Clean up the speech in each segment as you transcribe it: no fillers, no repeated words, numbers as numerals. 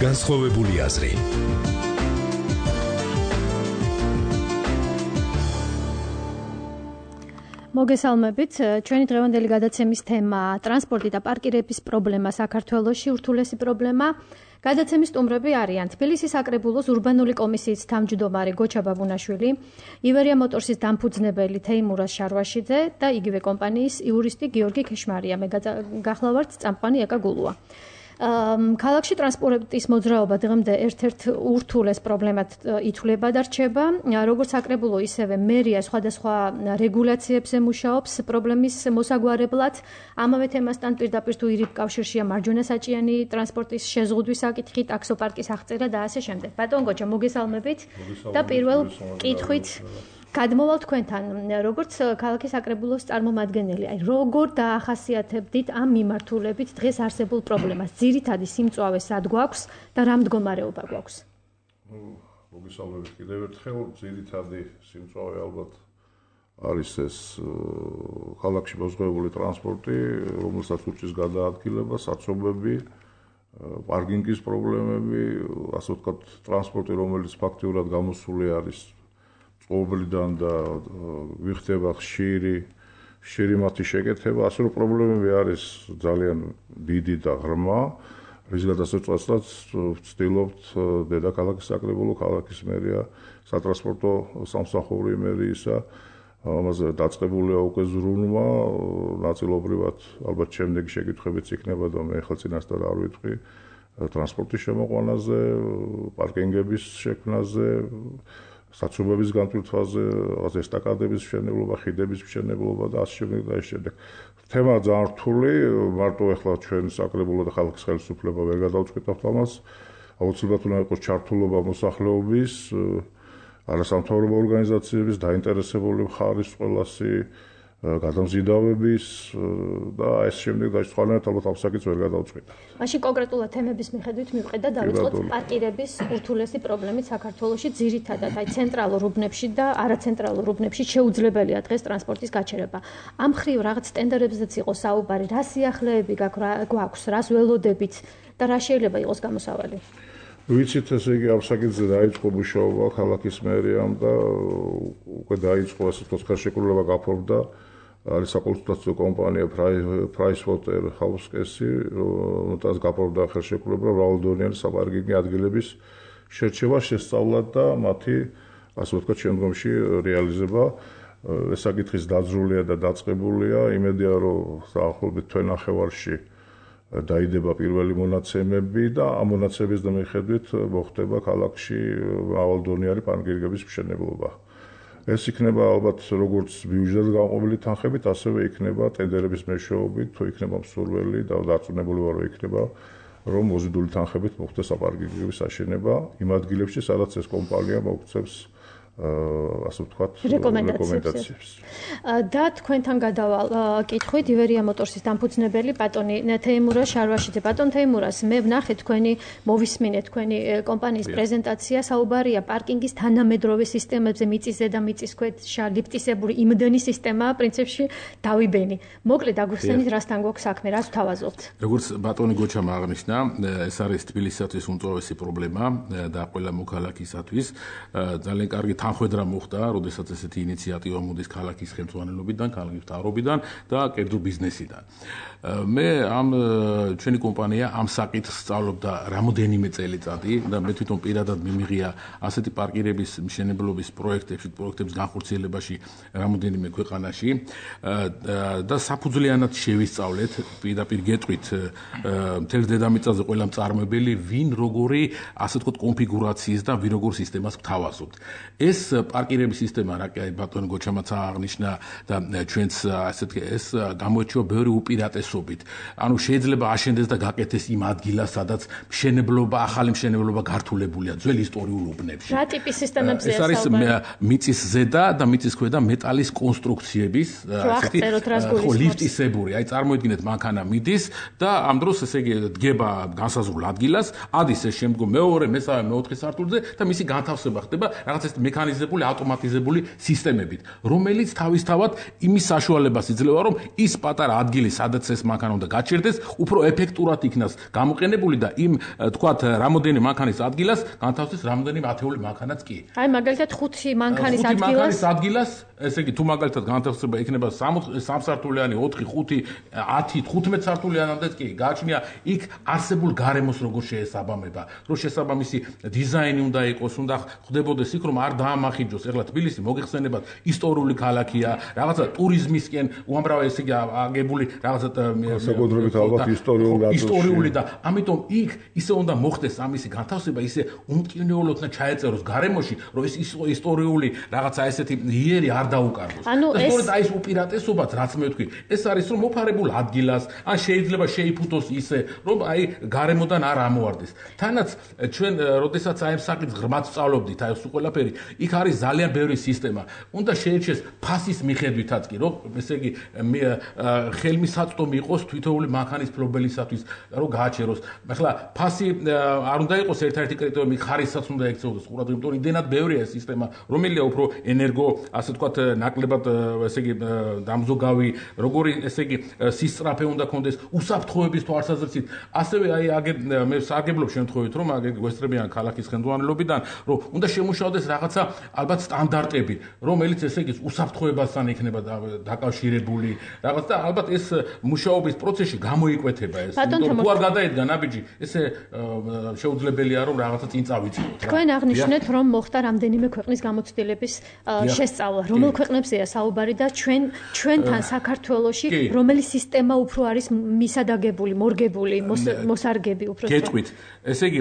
განსხვავებული აზრი. მოგესალმებით, ჩვენი დღევანდელი გადაცემის თემაა ტრანსპორტი და პარკირების პრობლემა საქართველოში, ურთულესი პრობლემა. გადაცემის სტუმრები არიან თბილისის საკრებულოს ურბანული კომისიის თავმჯდომარე გოჩა ბაბუნაშვილი, ივერია მოტორსის დამფუძნებელი თეიმურაზ შარვაშიძე და იგივე კომპანიის იურისტი გიორგი ქეშმარია. მე გახლავართ წამყვანი ეკა გულუა. ქალაქში ტრანსპორტის მოძრაობა დღემდე ერთ-ერთ ურთულეს პრობლემად ითვლება და რჩება. როგორც საკრებულო, ისევე მერია სხვადასხვა რეგულაციებზე მუშაობს პრობლემის მოსაგვარებლად. ამავე თემასთან პირდაპირ თუ ირიბ კავშირშია მარჯვენა საჭიანი ტრანსპორტის შეზღუდვის საკითხი, ტაქსოპარკის აღწერა და ასე შემდეგ. ბატონ გოჩა, მოგესალმებით და პირველ კითხვით გადმოვალ თქვენთან, როგორც ქალაქის საკრებულოს წარმომადგენელი, როგორ დაახასიათებდით ამ მიმართულებით დღეს არსებულ პრობლემას? ძირითადი სიმწვავე სად გვაქვს და რა მდგომარეობა გვაქვს? მოგესალმებით კიდევ ერთხელ. ძირითადი სიმწვავე ალბათ არის ეს ქალაქში მოზღებული ტრანსპორტი, რომელსაც უწევს გადაადგილება, საცობები, პარკინგის პრობლემები, ასე ვთქვათ, ტრანსპორტი, რომელიც ფაქტიურად გამოსული არის წყობლიდან და ვიხდება ხშირი მათი შეკეთება, ასე რომ პრობლემები არის ძალიან დიდი და ღრმა, რის გადასაწყვეტად ვცდილობთ დედაქალაქის საკრებულო, ქალაქის მერია, სატრანსპორტო სამსახური მერიისა, ამაზე დაწყებულია უკვე ზრუნვა, ნაწილობრივად ალბათ შემდეგი შეკითხვებიც იქნება და მე ახლა წინასწარ არ ვიტყვი ტრანსპორტის შემოყვანაზე, პარკინგების შექმნაზე, საცობების განტვირთვაზე, ესტაკადების მშენებლობა, ხიდების მშენებლობა და ასე შემდეგ და ასე შემდეგ. თემა ძალიან რთული, მარტო ახლა ჩვენ საკრებულო და ხალხის ხელისუფლება ვერ გადავწყვეტავთ ამას. აუცილებლად უნდა იყოს ჩართულობა მოსახლეობის, არასამთავრობო ორგანიზაციების, დაინტერესებული მხარის ყველასი, გადამზიდავების და ეს შემდეგ დაიწყალეთ ალბათ ამ საკითხს ვერ გადავწყვეტავთ. მაშინ კონკრეტულად თემების მიხედვით მივყეთ და დავიწყოთ პარკირების ურთულესი პრობლემით საქართველოში, ძირითადად აი ცენტრალურ უბნებში და არაცენტრალურ უბნებში შეუძლებელია დღეს ტრანსპორტის გაჩერება. ამ მხრივ რაღაც ტენდერებზეც იყო საუბარი, რა სიახლეები გვაქვს, რას ველოდებით და რა შეიძლება იყოს გამოსავალი? ვიცით, ესე იგი ამ საკითხზე დაიწყო მუშაობა ქალაქის მერიამ და უკვე დაიწყო ასე ვთქვათ ხელშეკრულება გაფორმდა არის საკონსულტაციო კომპანია PricewaterhouseCoopers-ი, რომელთაც გაფორმდა ხელშეკრულება მრავალდონიანი საპარკინგო ადგილების შერჩევა, შესწავლა და მათი ასე ვთქვათ შემდგომში რეალიზება. ეს საკითხის დაძრულია და დაწყებულია, იმედია რომ დაახლოებით თვენახევარში დაიდება პირველი მონაცემები და ამ მონაცემების მიხედვით მოხდება ქალაქში მრავალდონიანი პარკინგების მშენებლობა. ეს იქნება ალბათ როგორც ბიუჯეტად განყოფილი თანხებით, ასევე იქნება ტენდერების მეშვეობით, თუ იქნება მსურველი და დარწმუნებული ვარ, რომ იქნება, რომ მოზიდული თანხებით მოხდეს საპარკინგების აშენება იმ ადგილებში, სადაც ეს კომპანია მოგვცემს ასე ვთქვათ რეკომენდაციებს. და თქვენთან გადავალ კითხვით ივერია მოტორსის დამფუძნებელი ბატონი თეიმურაზ შარვაშიძე. ბატონ თეიმურაზ, მე ვნახე თქვენი მოვისმინე თქვენი კომპანიის პრეზენტაცია, საუბარია პარკინგის თანამედროვე სისტემებზე, მიწის ზედა, მიწის ქვეშ, ლიფტისებური იმდენი სისტემაა, პრინციპში დავიბენი. მოკლედ აგვიხსენით, რასთან გვაქვს საქმე, რას ვთავაზობთ? როგორც ბატონი გოჩამ აღნიშნა, ეს არის თბილისისათვის უმწვავესი პრობლემა და ყველა მოქალაქისათვის. ძალიან კარგი თანხwebdriver მოხდა, როდესაც ესეთი ინიციატივა მოდის ქალაქის ხელმძღვანელობიდან, ქალაქის მთავრობიდან და კერძო ბიზნესიდან. მე ჩვენი კომპანია ამ საკითხს სწავლობდა რამოდენიმე წელიწადი და მე თვითონ პირადად მიმიღია ასეთი პარკირების მშენებლობის პროექტების განხორციელებაში რამოდენიმე ქვეყანაში და საფუძვლიანად შევისწავლეთ, პირდაპირ გეტყვით მთელ დედამიწაზე ყველა მწარმოებელი ვინ როგორი ასე ვთქვათ კონფიგურაციის და ვინ როგორ სისტემას გთავაზობთ. ეს პარკირების სისტემა, რა კი ბატონი გოჩამაც აღნიშნა და ჩვენც ეს გამოირჩევა ბევრი უპირატესობით. ანუ შეიძლება აშენდეს და გაკეთდეს იმ ადგილას, სადაც ახალი მშენებლობა გართულებულია ძველ ისტორიულ უბნებში. რა ტიპის სისტემებზეა ეს არის მიწის ზედა და მიწის ქვედა მეტალის კონსტრუქციების ლიფტისებური. აი წარმოიდგინეთ, მანქანა მიდის და ამ დროს ესე იგი დგება განსაზღვრულ ადგილას, ადის ეს შემდგომ მეორე, მესამე, მეოთხე სართულზე და მისი განთავსება ხდება რაღაც ეს მექანიზმი მექანიზებული, ავტომატიზებული სისტემებით, რომელიც თავისთავად იმის საშუალებას იძლევა, რომ ის პატარა ადგილი, სადაც ეს მანქანა უნდა გაჩერდეს, უფრო ეფექტურად იქნას გამოყენებული და იმ თქვათ რამოდენი მანქანის ადგილას განთავსდეს რამდენი ათეული მანქანაც კი. აი მაგალითად 5 მანქანის ადგილას, ესე იგი თუ მაგალითად განთავსება იქნება 3 სართულიანი, 4, 5, 10, 15 სართულიანამდეც კი გააჩნია იქ არსებულ გარემოს როგორ შეესაბამება, რომ შესაბამისი დიზაინი უნდა იყოს, უნდა ხდებოდეს იქ, რომ არ დაამახინჯოს. ეხლა თბილისი მოგეხსენებათ ისტორიული ქალაქია, რაღაცა ტურიზმისკენ უამრავი ესე იგი აგებული რაღაცა საკუთრებით ალბათ ისტორიული და ამიტომ იქ ისე უნდა მოხდეს ამისი განთავსება, ისე უმტკივნეულოდ უნდა ჩაეწეროს გარემოში, რომ ეს ისტორიული რაღაცა ესეთი იერი არ დაუკარგოს. ეს აი ეს უპირატესობაც რაც მე ვთქვი, ეს არის რომ მოფარებულ ადგილას, ან შეიძლება შეიფუთოს ისე, რომ აი გარემოდან არ ამოარდეს. თანაც ჩვენ როდესაც აი ამ საკითხს ღრმად ვსწავლობდით, აი ეს ყველაფერი, იქ არის ძალიან ბევრი სისტემა. უნდა შეერჩეს ფასის მიხედვითაც კი, რომ ესე იგი ხელმისაწვდომი იყოს თვითოეული მანქანის ფლობელისათვის, რომ გააჩეროს. ახლა ფასი არ უნდა იყოს ერთ-ერთი კრიტერიუმი, ხარისსაც უნდა ექცეოდეს ყურად, იმიტომ რომ იმდენად ბევრია ეს სისტემა, რომელია უფრო ენერგო, ასე ვთქვათ, ნაკლებად ესე იგი დამზოგავი, როგორი ესე იგი სისწრაფე უნდა კონდეს, უსაფრთხოების თვალსაზრისით. ასევე აი მე სარგებლობ შემთხვევით, რომ გვესწრებიან ქალაქის ხელმძღვანელობიდან, რომ უნდა შემუშავდეს რაღაცა ალბათ სტანდარტები, რომელიც ესე იგი უსაფრთხოებასთან იქნება დაკავშირებული, რაღაც და ალბათ ეს მუშაობის პროცესში გამოიკვეთება ეს. თუ არ გადაედგა ნაბიჯი, ესე შეუძლებელია რომ რაღაცა წინ წავიწყოთ. თქვენ აღნიშნეთ, რომ მოხდა რამდენიმე ქვეყნის გამოცდილების შესწავლა. რომელ ქვეყნებზეა საუბარი და ჩვენთან საქართველოში რომელი სისტემა უფრო არის მისადაგებული, მორგებული, მოსარგები უფრო სწორად. გეტყვით. ესე იგი,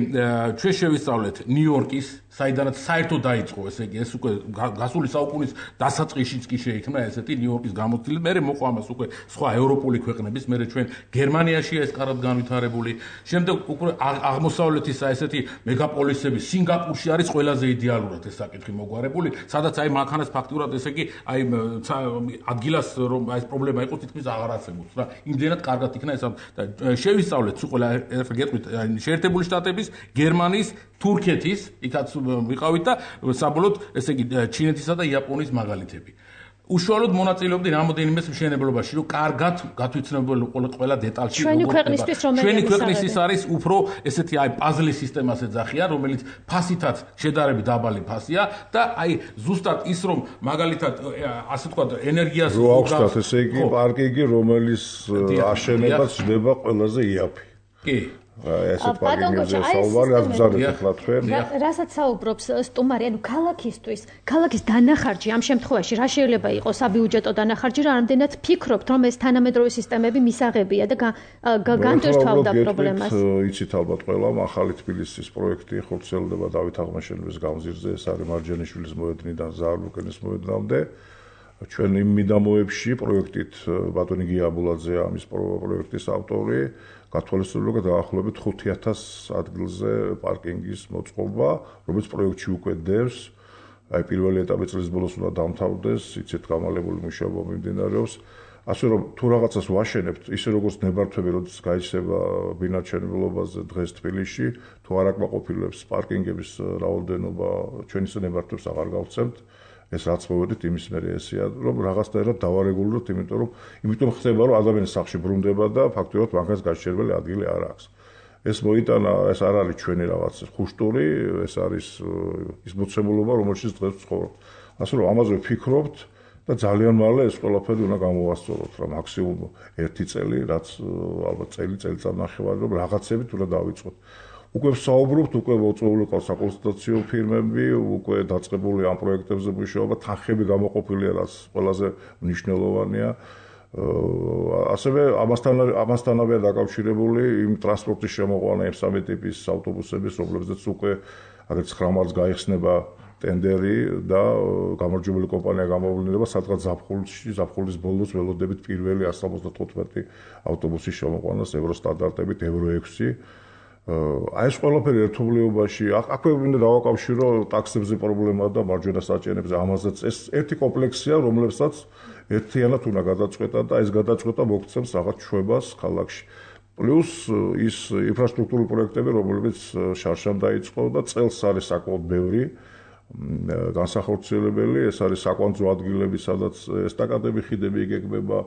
ჩვენ შევისწავლეთ ნიუ-იორკის, საიდანაც საერთოდ დაიწყო, ესე იგი, ეს უკვე გასული საუკუნის დასაწყისშიც კი შეიქმნა ესეთი ნიუ-იორკის გამოცდილება. მერე მოყვა ამას უკვე სხვა ევროპული ქვეყნების, მერე ჩვენ გერმანიაშია ეს კარგად განვითარებული. შემდეგ უკვე აღმოსავლეთის ესეთი მეგაპოლისები, სინგაპურში არის ყველაზე იდეალურად ეს საკითხი მოგვარებული, სადაც აი მანქანას ფაქტურად ესე იგი, აი ადგილას რომ აი ეს პრობლემა იყოს, თითქმის აღარ არსებობს რა. იმდენად კარგად იქნა ეს და შევისწავლეთ სულ ყველა გეტყვით შეერთებული შტატების, გერმანიის, თურქეთის, იქაც ვიყავით და საბოლოოდ ესე იგი ჩინეთისა და იაპონიის მაგალითები. უშუალოდ მონაწილეობდი რამოდენიმე მშენებლობაში, რომ კარგად გათვითცნობებული ყველა დეტალში ჩვენი ქვეყნისთვის ჩვენი ქვეყნისთვის არის უფრო ესეთი აი პაზლის სისტემას ეძახიან, რომელიც ფასითაც შედარებით დაბალი ფასია და აი ზუსტად ის რომ მაგალითად ასე ვთქვათ ენერგიას რო აქვს ესე იგი პარკინგი, რომელიც აშენებაც ხდება ყველაზე იაფი. კი. ესეთ პარკინგებზე საუბარი აღზარდეთ ახლა თქვენ. რასაც საუბრობს სტუმარი, ანუ ქალაქის დანახარჯი ამ შემთხვევაში რა შეიძლება იყოს საბიუჯეტო დანახარჯი, რა ამდენად ფიქრობთ, რომ ეს თანამედროვე სისტემები მისაღებია და განტვირთვავდა პრობლემას. იცით ალბათ ყველა, ახალი თბილისის პროექტი ხორციელდება დავით აღმაშენებლის გამზირზე, ეს არის მარჯანიშვილის მოედნიდან ზაალუკენის მოედნამდე. ჩვენ იმ მიდამოებში პროექტით ბატონი გია აბულაძე ამის პროექტის ავტორი გათვალისწინებულა დაახლოებით 5000 ადგილზე პარკინგის მოწყობა, რომელიც პროექტში უკვე დევს. აი პირველი ეტაპი წლის ბოლოს უნდა დამთავრდეს, იცით გამალებული მუშაობა მიმდინარეობს. ასე რომ თუ რაღაცას ვაშენებთ, ისე როგორც ნებართვები, როდესაც გაიცება ბინადრობაზე დღეს თბილისში, თუ არ აკმაყოფილებს პარკინგების რაოდენობა, ჩვენ ისე ნებართვებს აღარ გავცემთ. ეს რაც მოვედით იმის მერე ესეა რომ რაღაცნაირად დავარეგულიროთ, იმიტომ ხდება რომ ადამიანის სახლში ბრუნდება და ფაქტობრივად მანქანის გაჩერებელი ადგილი არ აქვს. ეს მოიტანა, ეს არ არის ჩვენი რაღაც ხუშტური, ეს არის ის მოცემულობა, რომელშიც დღეს ვცხოვრობთ. ასე რომ ამაზე ვფიქრობთ და ძალიან მალე ეს ყველაფერი უნდა გამოვასწოროთ, რა მაქსიმუმ 1 წელი, რაც ალბათ წელიწადნახევარი რომ რაღაცებით უნდა დავიწყოთ. უკვე ვსაუბრობთ, უკვე მოწვეული ყავს საკონსულტაციო ფირმები, უკვე დაწყებული ამ პროექტებზე მუშაობა, თანხები გამოყოფილია, რაც ყველაზე მნიშვნელოვანია. ასევე ამასთანავეა დაკავშირებული იმ ტრანსპორტის შემოყვანა, იმ სამი ტიპის ავტობუსების, რომლებზეც უკვე აგრეთვე 9 მარტს გაიხსნება ტენდერი და გამარჯვებული კომპანია გამოვლინდება, სადღაც ზაფხულის ბოლოს ველოდებით პირველი 175 ავტობუსის შემოყვანას ევრო სტანდარტებით, ევრო 6. აი ეს ყველაფერი ერთობლიობაში, აქვე მინდა დავაკავშირო ტაქსებზე პრობლემა და მარჯვენა საჭიანებზე, ამაზეც ეს ერთი კომპლექსია, რომლებსაც ერთიანად უნდა გადაწყვეტა და ეს გადაწყვეტა მოგცემს რაღაც ჩვებას ქალაქში. პლუს ის ინფრასტრუქტურული პროექტები, რომლებიც შარშან დაიწყო და წელს არის საკმაოდ ბევრი, განსახორციელებელი, ეს არის საკვანძო ადგილები, სადაც ესტაკადები, ხიდები იგეგმება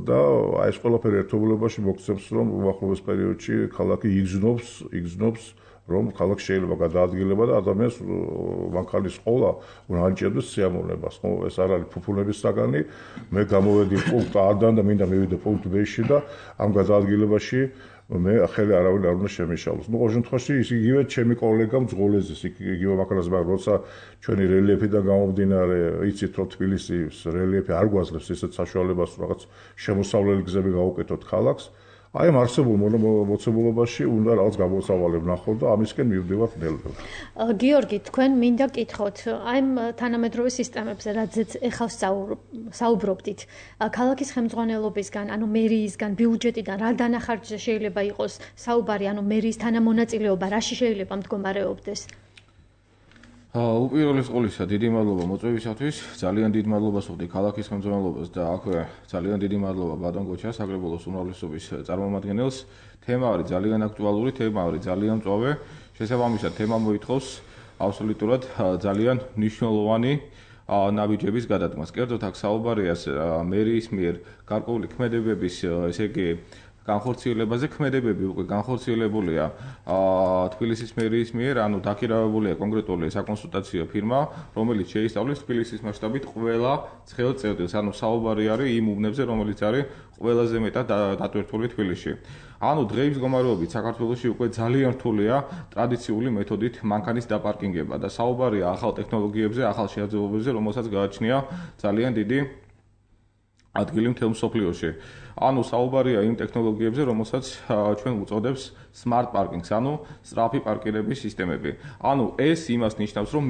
და აი ეს ყველაფერი ერთობლივობაში მოგცემს, რომ უახლოეს პერიოდში ქალაქი იგრძნობს, რომ ქალაქი შეიძლება გადაადგილება და ადამიანს მანქანის ყოლა უნდა ანიჭებდეს სიამოვნებას. ხო, ეს არ არის ფუფუნების საგანი. მე გამოვედი პუნქტ A-დან და მინდა მივიდე პუნქტ B-ში და ამ გადაადგილებაში მე ახალი არავინ არ უნდა შემიშალოს. ნუ ყოველ შემთხვევაში ის იგივე ჩემი კოლეგა მძღოლეზის იგივე მაქრას მაგრამ როცა ჩვენი რელიეფიდან გამომდინარე იცით რომ თბილისის რელიეფი არ გვაძლევს ესეთ საშუალებას რომ რაღაც შემოსავლელი გზები გავუკეთოთ ქალაქს. აი ამ არსებულ მოცემულობაში უნდა რაღაც გამოსავალი ვნახოთ და ამისკენ მივდივართ ნელ-ნელა. გიორგი, თქვენ მინდა გითხოთ, აი ამ თანამედროვე სისტემებზე, რადგან ეხლა საუბრობდით, ქალაქის ხელმძღვანელობისგან, ანუ მერიისგან, ბიუჯეტიდან რა დანახარჯზე შეიძლება იყოს საუბარი, ანუ მერიის თანამონაწილეობა რაში შეიძლება მდგომარეობდეს? უპირველეს ყოვლისა, დიდი მადლობა მოწვევისათვის. ძალიან დიდ მადლობას ვუხდი ქალაქის ხელმძღვანელობას და აქვე ძალიან დიდი მადლობა ბატონ გოჩას, საგრებულოს უმრავლესობის წარმომადგენელს. თემა არის ძალიან აქტუალური, თემა არის ძალიან მწვავე. შესაბამისად, თემა მოითხოვს აბსოლუტურად ძალიან მნიშვნელოვანი ნაბიჯების გადადგმას. კერძოდ აქ საუბარია მერიის მიერ გარკვეული ქმედებების, ესე იგი განხორციელებაზე. ქმედებები უკვე განხორციელებულია თბილისის მერიის მიერ, ანუ დაქირავებულია კონკრეტული საკონსულტაციო ფირმა, რომელიც შეისწავლის თბილისის მასშტაბით ყველა ცხელ წერტილს, ანუ საუბარი არის იმ უბნებზე, რომელიც არის ყველაზე მეტად დატვირთული თბილისში. ანუ დღეის მდგომარეობით საქართველოში უკვე ძალიან რთულია ტრადიციული მეთოდით მანქანის დაპარკინგება და საუბარია ახალ ტექნოლოგიებზე, ახალ შეაძლებლობებზე, რომელსაც გააჩნია ძალიან დიდი ადგილი მთელ მსოფლიოში. ანუ საუბარია იმ ტექნოლოგიებზე, რომელსაც ჩვენ უწოდებს smart parkings, ანუ სწრაფი პარკირების სისტემები. ანუ ეს იმას ნიშნავს, რომ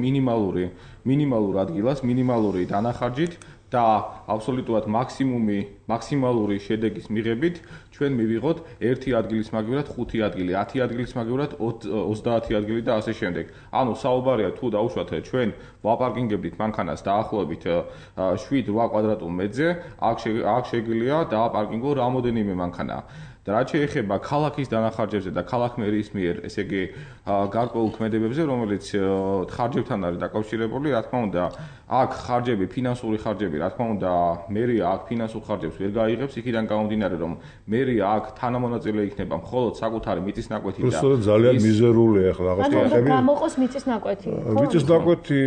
მინიმალურ ადგილას, მინიმალური დანახარჯით და აბსოლუტურად მაქსიმალური შედეგის მიღებით ჩვენ მივიღოთ 1 ადგილის მაგივრად 5 ადგილი, 10 ადგილის მაგივრად 30 ადგილი და ასე შემდეგ. ანუ საუბარია თუ დაუშვათ ჩვენ ვაპარკინგებდით მანქანას დაახლოებით 7-8 კვადრატულ მეტრზე, აქ შეგვიძლია დააპარკინგო რამოდენიმე მანქანა. და რაც შეეხება ქალაქის დანახარჯებზე და ქალაქ მერიის მიერ, ესე იგი გარკვეულ ქმედებებზე, რომელიც ხარჯებთან არის დაკავშირებული, რა თქმა უნდა, აქ ხარჯები, ფინანსური ხარჯები, რა თქმა უნდა, მერია აქ ფინანსურ ხარჯებს ვერ გაიღებს, იქიდან გამომდინარე, რომ მერია აქ თანამონაწილე იქნება მხოლოდ საკუთარი მიწისნაკვეთი და უბრალოდ ძალიან მიზერულია ახლა რაღაც კითხები. გამოყოს მიწისნაკვეთი. მიწისნაკვეთი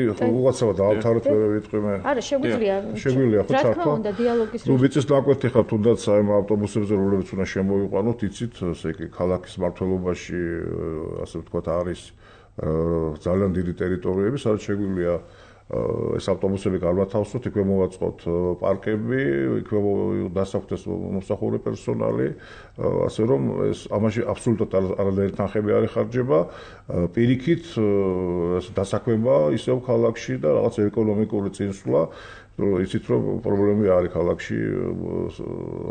უღაცავად დავთავრეთ მე ვიტყვი მე. არა, შეგვიძლია. შეგვიძლია ხო რა ჩართვა. თქმა უნდა, დიალოგის ნუ მიწისნაკვეთი ხა თუნდაც აი ავტობუსებზე რომლებიც უნდა შემოვიყვანოთ, იცით, ესე იგი ქალაქის მართლობაში, ასე ვთქვათ, არის ძალიან დიდი ტერიტორიები, სადაც შეგვიძლია ეს ავტობუსები გამათავსოთ, იქვე მოვაწყოთ პარკები, იქვე დასახვდეს მომსახურე პერსონალი, ასე რომ ეს ამაში აბსოლუტურად არადაერთი თანხები არ იხარჯება, პირიქით დასაქმება ისევ ქალაქში და რაღაც ეკონომიკური წინსვლა, იცით რომ პრობლემები არის ქალაქში,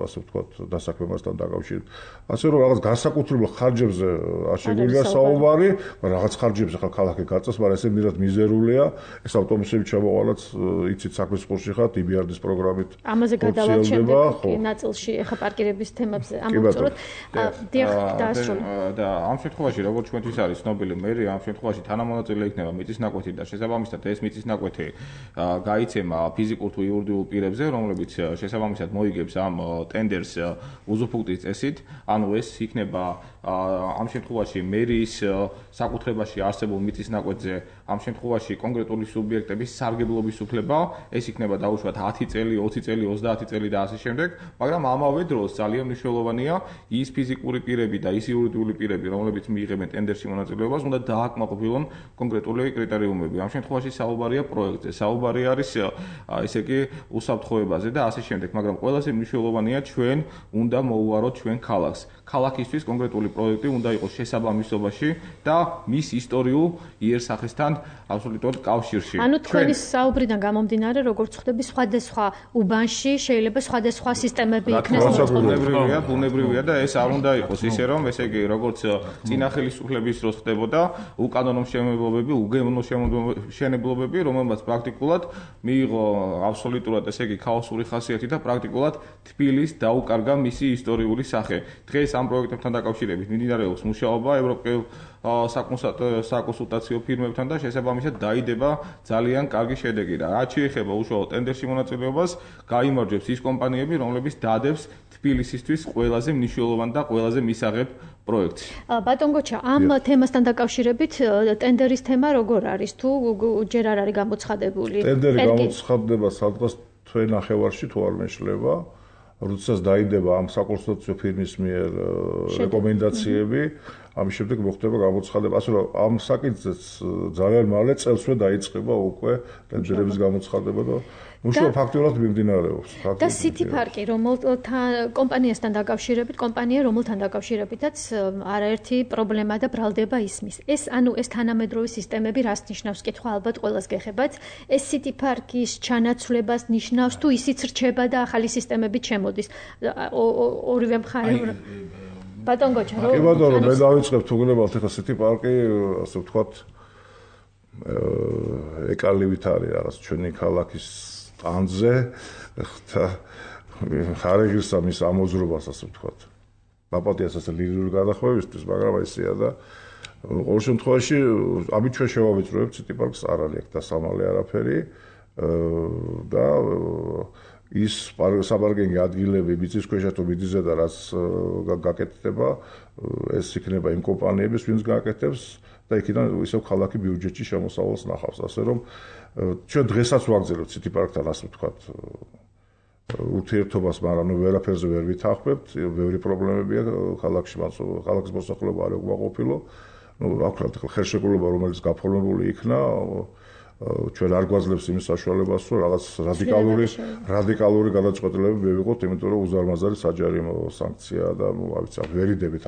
ასე ვთქვათ, დასაქმებასთან დაკავშირებით. ასე რომ რაღაც განსაკუთრებულ ხარჯებზე არ შეგვიძლია საუბარი, რაღაც ხარჯებს ახლა ქალაქი გაწევს, მაგრამ ესე მირად მიზერულია, ეს ავტობუსები ჩამოყალაც, იცით, საქმის სპორტში ხართ, IBRD-ის პროგრამით. ამაზე გადავალ შემდეგ ნაწილში ახლა პარკირების თემებზე ამოვწუროთ. დიახ, დაასრულე. და ამ შემთხვევაში, როგორც ჩვენთვის არის ცნობილი, მერია ამ შემთხვევაში თანამონაწილე იქნება მიწისნაკვეთი და შესაბამისად ეს მიწისნაკვეთი გაიცემა ფიზიკურ თუ იურიდიულ პირებზე, რომლებიც შესაბამისად მოიგებს ამ ტენდერს უზუფრუქტის წესით, ანუ ეს იქნება ამ შემთხვევაში მერიის საკუთრებაში არსებულ მიწისნაკვეთზე, ამ შემთხვევაში კონკრეტული სუბიექტების სარგებლობის უფლება, ეს იქნება დაუშვათ 10 წელი, 20 წელი, 30 წელი და ასე შემდეგ, მაგრამ ამავე დროს ძალიან მნიშვნელოვანია ის ფიზიკური პირები და ის იურიდიული პირები, რომლებიც მიიღებენ ტენდერში მონაწილეობას, უნდა დააკმაყოფილონ კონკრეტული კრიტერიუმები. ამ შემთხვევაში საუბარია პროექტზე, საუბარი არის ესე იგი უსაფრთხოებაზე და ასე შემდეგ, მაგრამ ყველაზე მნიშვნელოვანია ჩვენ უნდა მოუვაროთ ჩვენ ქალაქს. ქალაქისთვის კონკრეტული პროექტი უნდა იყოს შესაბამისობაში და მის ისტორიულ იერსახესთან აბსოლუტურად კავშირში. ანუ თქვენი საუბრიდან გამომდინარე, როგორც ხვდები, სხვადასხვა უბანში შეიძლება სხვადასხვა სისტემები იქნეს. ბუნებრივია და ეს არ უნდა იყოს ისე რომ, ესე იგი, როგორც წინა ხელისუფლების დროს ხდებოდა, უკანონო შემოებლობები, უგემოვნო შემოებლობები, რომელმაც პრაქტიკულად მიიღო აბსოლუტურად, ესე იგი, ქაოსური ხასიათი და პრაქტიკულად თბილისს დაუკარგა მისი ისტორიული სახე. დღეს ამ პროექტებთან დაკავშირებით მიმდინარეობს მუშაობა ევროპელ საკონსულტაციო ფირმებთან და შესაბამისად დაიდება ძალიან კარგი შედეგი და რაც შეეხება უშუალოდ ტენდერში მონაწილეობას, გაიმარჯვებს ის კომპანიები, რომლებიც დადებს თბილისისთვის ყველაზე მნიშვნელოვან და ყველაზე მისაღებ პროექტს. ბატონ გოჩა, ამ თემასთან დაკავშირებით ტენდერის თემა როგორ არის? თუ ჯერ არ არის გამოცხადებული? ტენდერი გამოცხადდება სადღაც თვე ნახევარში თუ არ მეშლება, როდესაც დაიდება ამ საკონსულტაციო ფირმის მიერ რეკომენდაციები, ამის შემდეგ მოხდება გამოცხადება. ასე რომ ამ საკითხზეც ძალიან მალე წელსვე დაიწყება უკვე ტენდერების გამოცხადება და უშუალოდ ფაქტურად მიმდინარეობს. და City Park-ი, რომელთან კომპანიასთან დაკავშირებით, რომელთან დაკავშირებითაც არაერთი პრობლემა და ბრალდება ისმის. ეს თანამედროვე სისტემები რას ნიშნავს? კითხვა ალბათ ყველას გეხებათ. ეს City Park-ის ჩანაცვლებას ნიშნავს თუ ისიც რჩება და ახალი სისტემებით შემოდის? ორივე მხარე ბატონ გოჩა, კი ბატონო, მე დავიწყებ თუ გნებავთ ახლა City Park-ი, ასე ვთქვათ, ეკალივით არის რაღაც ჩვენი ქალაქის ტანზე და ხარეგირსა მის ამოძრობას, ასე ვთქვათ. მაპატიას ასე ლირიული გადახვევისთვის, მაგრამ ესეა და ყოველ შემთხვევაში ამით ჩვენ შევავიწროებთ City Park-ს, არ არის აქ დასამალე არაფერი და ის საპარკინგი ადგილები მიწისქვეშა თუ მიწაზე და რაც გაკეთდება, ეს იქნება იმ კომპანიების, ვინც გააკეთებს და იქიდან ისევ ქალაქი ბიუჯეტში შემოსავალს ნახავს. ასე რომ ჩვენ დღესაც ვაგრძელებთ City Park-თან, ასე ვთქვათ, ურთიერთობას, მაგრამ ვერაფერზე ვერ ვითანხმებთ, ბევრი პრობლემებია ქალაქში, ქალაქის მოსახლეობა არ უკმაყოფილო. რა ვქნათ, ხელშეკრულება, რომელიც გაფორმებული იქნა, ჩვენ არ გვაძლევს იმის საშუალებას, რომ რაღაც რადიკალური გადაწყვეტილებები მივიღოთ, იმიტომ რომ უზარმაზარი საჯარიმო სანქცია და ვერ იდებით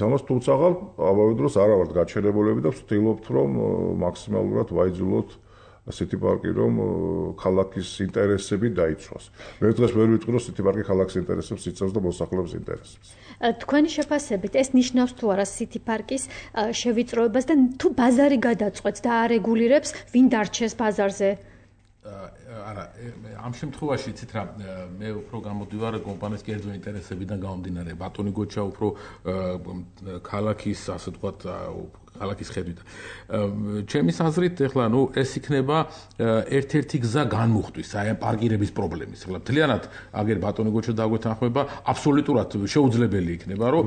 ამას, თუმცა ამავე დროს არა ვართ გაჩერებულები და ვცდილობთ, რომ მაქსიმალურად ვაიძულოთ City Park-ი, რომ ქალაქის ინტერესები დაიცვას. მე დღეს ვერ ვიტყვი, რომ City Park-ი ქალაქის ინტერესებს იცავს და მოსახლეობის ინტერესებს. თქვენი შეფასებით ეს ნიშნავს თუ არა City Park-ის შევიწროებას და თუ ბაზარი გადაწყვეტს და არეგულირებს, ვინ დარჩეს ბაზარზე? არა, ამ შემთხვევაში იცით რა, მე უფრო გამოდივარ კომპანიის კერძო ინტერესებიდან გამომდინარე. ბატონი გოჩა უფრო ქალაქის, ასე ვთქვათ, ქალაქის ხედვით. ჩემის აზრით, ეხლა ეს იქნება ერთ-ერთი გზა განმუხტვის აი ამ პარკირების პრობლემის. ეხლა მთლიანად აგერ ბატონი გოჩა დაგვეთანხმება, აბსოლუტურად შეუძლებელი იქნება, რომ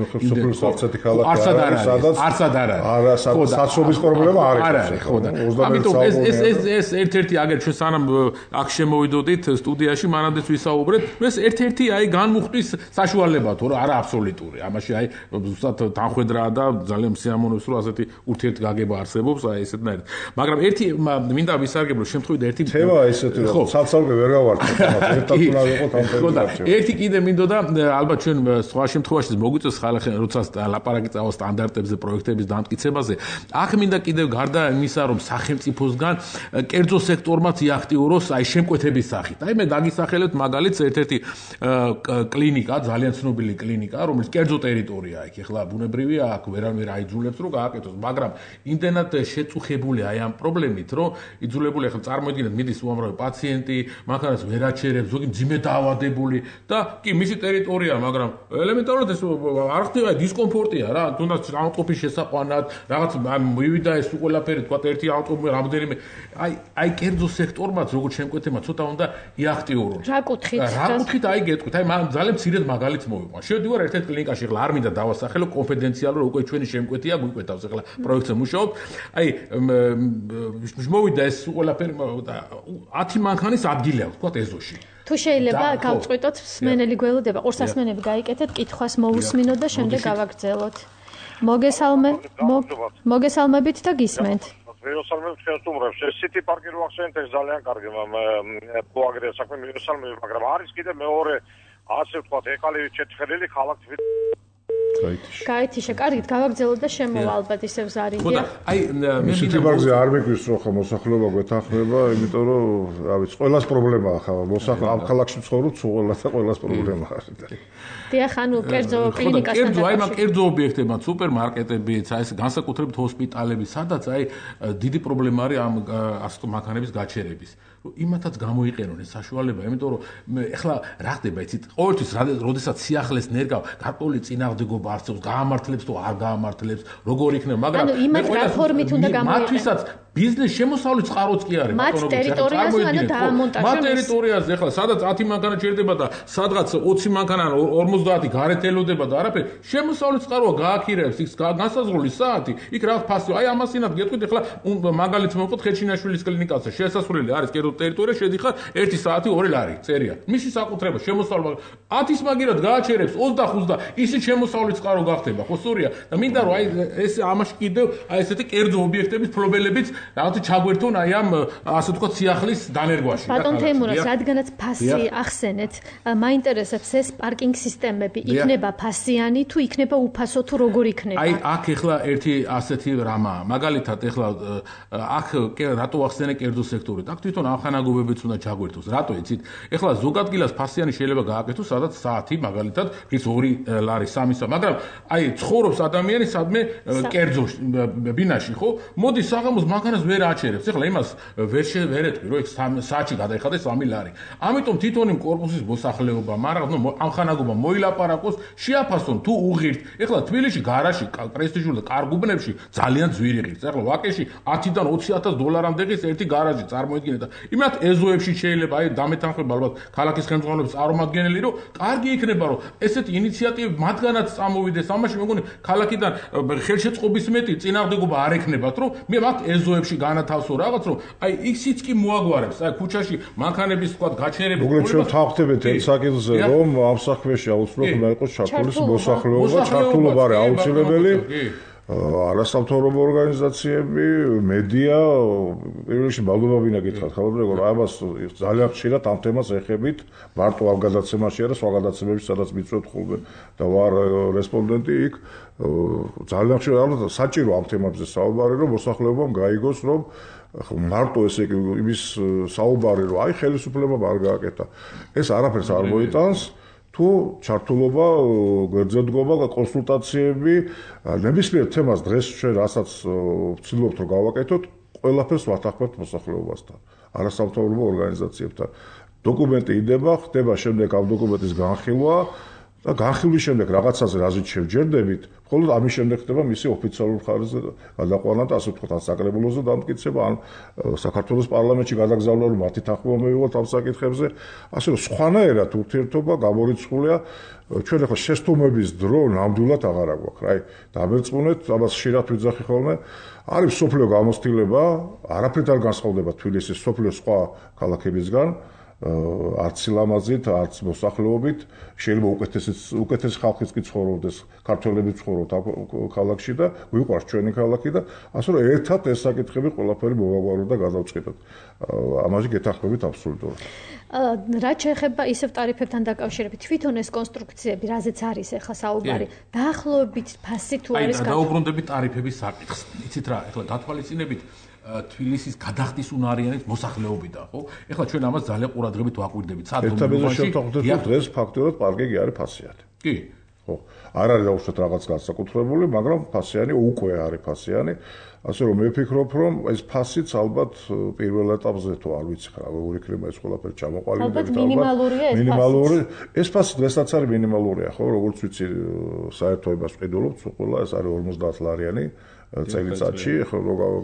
არცად არ არის. საცობის პრობლემა არ არის. ხო და ამიტომ ეს ერთ-ერთი აგერ ჩვენ სანამ აქ შემოვიდოდით სტუდიაში, მანამდე ვისაუბრეთ, ეს ერთ-ერთი აი განმუხტვის საშუალება თუ არა აბსოლუტური. ამაში აი ზუსტად თანხwebdriverა და ძალიან მსიამოვნებს, რომ ასეთი ურთიერთგაგება არსებობს, აი ესეთნაირად. მაგრამ ერთი მინდა ვისარგებლო შემთხვევით ერთი თემა ესეთი რომ საცალკე ვერ გავარდნით, ერთად უნდა ვიყოთ ამ თემაზე. ერთი კიდე მინდოდა, ალბათ ჩვენ სხვა შემთხვევაში მოგვიწევს ხალხი, როცა ლაპარაკი წავა სტანდარტებზე, პროექტების დამტკიცებაზე. აქ მინდა კიდევ გარდა იმისა, რომ სახელმწიფოსგან კერძო სექტორმაც იაქტიუროს აი შემკვეთების სახით. აი მე დაგისახელებ მაგალითს ერთ-ერთი კლინიკა, ძალიან ცნობილი კლინიკა, რომელიც კერძო ტერიტორია იქ. ეხლა ბუნებრივია, აქ ვერავინ აიძულებს, რომ გააკეთოს, მაგრამ იმდენად შეწუხებული აი ამ პრობლემით, რომ იძულებული ახლა წარმოიდგინეთ, მიდის უამრავი პაციენტი, მანქანას ვერ აჩერებს, ზოგი მძიმე დაავადებული და კი მისი ტერიტორია, მაგრამ ელემენტარულად ეს არ ხდება დისკომფორტია რა, თუნდაც ავტოფის შესაყვანად, რაღაც მივიდა ეს ყველაფერი, თქვა ერთი ავტომობილი რამდენიმე აი კერძო სექტორმაც როგორც შემკვეთება ცოტა უნდა იაქტიურონ. რა კუთხით აი გეტყვით, აი მან ძალიან მცირედ მაგალითს მოვიყვან. შევდივარ ერთ-ერთ კლინიკაში, ახლა არ მინდა დავასახელო, კონფიდენციალურად უკვე ჩვენი შემკვეთია გვიკვეთავს ახლა პროექტზე მუშაობ. აი მოვიდა ეს ყველაფერი 10 მანქანის ადგილი აქვს, თქვა ეზოში. თუ შეიძლება გავწყვიტოთ, სმენელი გველოდება, ყურსასმენები გაიკეთეთ, კითხვას მოусმინოთ და შემდეგ გავაგრძელოთ. მოგესალმებით და გისმენთ. მიესალმებით ხელს უმრავს. ეს City Park-ი რო ახსენეთ, ეს ძალიან კარგი პოაგრია საქმე მიესალმებით, მაგრამ არის კიდე მეორე, ასე ვთქვათ, ეკალივით შეთხელილი ქალაქი გაითიშა, კარგით, გავაგრძელოთ და შემოვა ალბათ ისევ ზარიდია. ხო და აი მე City Park-ზე არ მეგვრის რომ ხა მოსახლეობა გვეთანხმება, იმიტომ რომ რა ვიცი, ყველას პრობლემაა ხა, ამ ქალაქში ცხოვრობ, ყველას და ყველას პრობლემა არის და. დიახ, ანუ კერძო კლინიკასთან და აი მაგ კერძო ობიექტებთან, სუპერმარკეტებიც, აი ეს განსაკუთრებით ჰოსპიტალები, სადაც აი დიდი პრობლემა არის ამ ასეთ მანქანების გაჩერების. იმათაც გამოიყენონ ეს საშუალება, იმიტომ რომ ეხლა რა ხდება, იცით, ყოველთვის როდესაც სიახლეს ნერგავ, გარკვეული წინააღმდეგობა არსებობს, გაამართლებს თუ არ გაამართლებს, როგორ იქნება, მაგრამ ანუ იმათ პლატფორმით უნდა გამოიყენოს. მათთვისაც ბიზნეს შემოსავლის წყაროც კი არის, მათ ტერიტორიაზე ანუ დაამონტაჟონ. მათ ტერიტორიაზე ეხლა სადაც 10 მანქანა ჩერდება და სადღაც 20 მანქანა 50 გარეთ ელოდება და არაფერი, შემოსავლის წყაროა გააქირებს იქ განსაზღვრული საათი, იქ რაღაც ფასი. აი ამასინად გეტყვით ეხლა მაგალითს მოვყოთ ხეჩინაშვილის კლინიკაზე. შესასვლელი არის კერძო ტერიტორია, შედიხარ 1 საათი 2 ლარი წერია. მისი საკუთრება შემოსავლა 10-ის მაგირად გააჩერებს 25-ს და ისიც შემოსავლის წყარო გახდება. ხო სწორია? და მინდა რომ აი ეს ამაში კიდევ აი ესეთი კერძო ობიექტების ფლობელებიც რაღაცა ჩაგვერთონ აი ამ ასე ვთქვათ სიახლის დანერგვაში. ბატონ თემურას, რადგანაც ფასი ახსენეთ, მაინტერესებს ეს პარკინგ სისტემები იქნება ფასიანი თუ იქნება უფასო თუ როგორ იქნება? აი აქ ეხლა ერთი ასეთი რამაა. მაგალითად ეხლა აქ რატო ახსენე კერძო სექტორი? აქ თვითონ ამხანაგობებიც უნდა ჩაგვერთოს. რატო იცით? ეხლა ზოგადგილას ფასიანი შეიძლება გააკეთოს, სადაც საათი მაგალითად ის 2 ლარი 3-ისა, მაგრამ აი ცხოვრობს ადამიანი სადმე კერძო ბინაში, ხო? მოდის საღამოს მანქანას ვერ აჩერებს. ეხლა იმას ვერ ეტყვი, რომ იქ საათში გადაიხადეს 3 ლარი. ამიტომ თვითონ იმ კორპუსის მოსახლეობა, მაგრამ ამხანაგობა მოილაპარაკოს, შეაფასონ თუ უღირთ. ეხლა თბილისში გარაში, პრესტიჟულ და კარგ უბნებში ძალიან ძვირი ღირს. ეხლა ვაკეში 10-დან 20,000 დოლარამდე ღირს ერთი გარაჟი, წარმოიდგინეთ და იმათ ეზოებში შეიძლება აი დამეთანხმება ალბათ ქალაქის ხელმძღვანელობის წარმომადგენელი, რომ კარგი იქნება, რომ ესეთი ინიციატივები მათგანაც წამოვიდეს. ამაში მეგონი ქალაქიდან ხელშეწყობის მეტი წინააღმდეგობა არ ექნებათ, რომ მე მათ ეზოებში განათავსო რაღაც, რომ აი ისიც კი მოაგვარებს. აი ქუჩაში მანქანების თქვა გაჩერება. უბრალოდ ჩვენ თავხდებით ერთ საკითხზე, რომ ამ საქმეში აუცილებლად უნდა იყოს ჩართული მოსახლეობა, ჩართულობა არის აუცილებელი. არასამთავრობო ორგანიზაციები, მედია, პირველ რიგში მადლობა ვინა გითხრათ ხალხო, რომ ამას ძალიან ხშირად ამ თემას ეხებით, მარტო ამ გადაცემაში არა, სხვა გადაცემებში სადაც მიწვევთ ხოლმე და ვარ რესპონდენტი იქ, ძალიან ხშირად საჭირო ამ თემებზე საუბარი, რომ მოსახლეობამ გაიგოს, რომ მარტო ესე იგი იმის საუბარი, რომ აი ხელისუფლებამ არ გააკეთა. ეს არაფერს არ მოიტანს. თუ ჩართულობა, გვერდზედგობა და კონსულტაციები ნებისმიერ თემას დღეს ჩვენ რასაც ვცდილობთ რომ გავაკეთოთ, ყველაფერს ვათანხმებთ მოსახლეობასთან, არასამთავრობო ორგანიზაციებთან. დოკუმენტი იდება, ხდება შემდეგ ამ დოკუმენტის განხილვა და განხილვის შემდეგ რაღაცაზე რაზეც შევჯერდებით, მხოლოდ ამის შემდეგ ხდება მისი ოფიციალურ ხარისხზე გადაყვანა და ასე ვთქვათ, ან საკრებულოზე დამტკიცება, ან საქართველოს პარლამენტში გადაგზავნა, რომ მათი თანხმობა მივიღოთ ამ საკითხებზე. ასე რომ სხვანაირად ურთიერთობა გამორიცხულია. ჩვენ ახლა შეცდომების დრო ნამდვილად აღარ აქვს. აი, დამერწმუნეთ, ამას ხშირად ვიძახი ხოლმე. არის სოფლიო გამოცდილება, არაფრით არ განსხვავდება თბილისის სოფლიო სხვა ქალაქებისგან. არც სილამაზით, არც მოსახლეობით, შეიძლება უკეთესი ხალხიც კი ცხოვრობდეს, ქართველები ცხოვრობთ ქალაქში და გვიყვარს ჩვენი ქალაქი და ასე რომ ერთად ეს საკითხები ყველაფერი მოვაგვაროთ და გადავწყვიტოთ. ამაში გეთანხმებით აბსოლუტურად. რაც შეეხება ისევ ტარიფებთან დაკავშირებით, თვითონ ეს კონსტრუქციები, რაზეც არის ახლა საუბარი, დაახლოებით ფასი თუ არის დაუბრუნდებით ტარიფების საკითხს. იცით რა, ახლა გათვალისწინებით თბილისის გადახდის უნარიანის მოსახლეობიდან, ხო? ეხლა ჩვენ ამას ძალიან ყურადღებით ვაკვირდებით. დღეს ფაქტობრივად პარკინგი არის ფასიანი. კი. ხო. არ არის დაუშვათ რაღაც განსაკუთრებული, მაგრამ ფასიანი უკვე არის ფასიანი. ასე რომ მე ვფიქრობ, რომ ეს ფასიც ალბათ პირველ ეტაპზე თუ არ ვიცი რა, როგორ იქნება ეს ყველაფერი ჩამოყალიბებული. ალბათ მინიმალურია ეს ფასი. მინიმალური. ეს ფასი დღესაც არის მინიმალურია, ხო? როგორც ვიცი, საერთოებას ვყიდულობთ, ყველა ეს არის 50 ლარიანი. წელიწადში, ხო,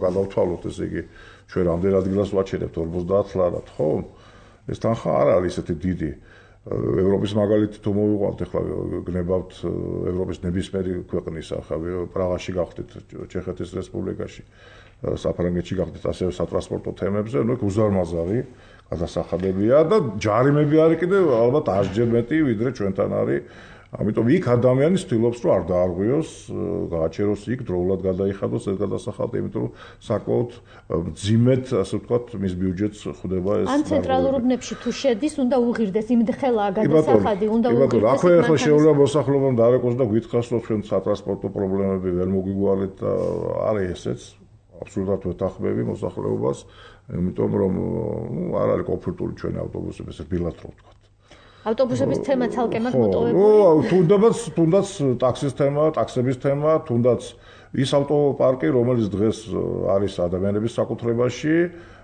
გადავთვალოთ ესე იგი, ჩვენ რამდენ ადგილას ვაჩერებთ 50 ლარად, ხო? ეს თანხა არ არის ესეთი დიდი. ევროპის მაგალითი თუ მოვიყვანთ, ახლა გნებავთ ევროპის ნებისმიერი ქვეყნის, ახლა პრაღაში გახდით, ჩეხეთის რესპუბლიკაში, საფრანგეთში გახდით, ასევე სატრანსპორტო თემებზე, ნუ უზარმაზარი გადასახადებია და ჯარიმები არის კიდევ ალბათ 10-ჯერ მეტი, ვიდრე ჩვენთან არის. ამიტომ იქ ადამიანი ცდილობს რომ არ დაარღვიოს, გააჩეროს იქ დროულად გადაიხადოს ეს გადასახადი, იმიტომ რომ საკმაოდ მძიმედ, ასე ვთქვათ, მის ბიუჯეტს ხვდება ეს. ან ცენტრალურ უბნებში თუ შედის, უნდა უღირდეს, იმდხელაა გადასახადი, უნდა უღირდეს. ახლა შეუძლია მოსახლეობამ დარეკოს და გითხრას, რომ ჩვენ სატრანსპორტო პრობლემები ვერ მოგვიგვალეთ და არის ესეც. აბსოლუტურად ვეთანხმები მოსახლეობას, იმიტომ რომ არ არის კომფორტული ჩვენი ავტობუსები, ესე ბილად რო ვთქვათ. ავტობუსების თემა ცალკე მაგ მოტოვებული. თუნდაც ტაქსის თემა, ტაქსების თემა, თუნდაც ის ავტოპარკი, რომელიც დღეს არის ადამიანების საკუთრებაში,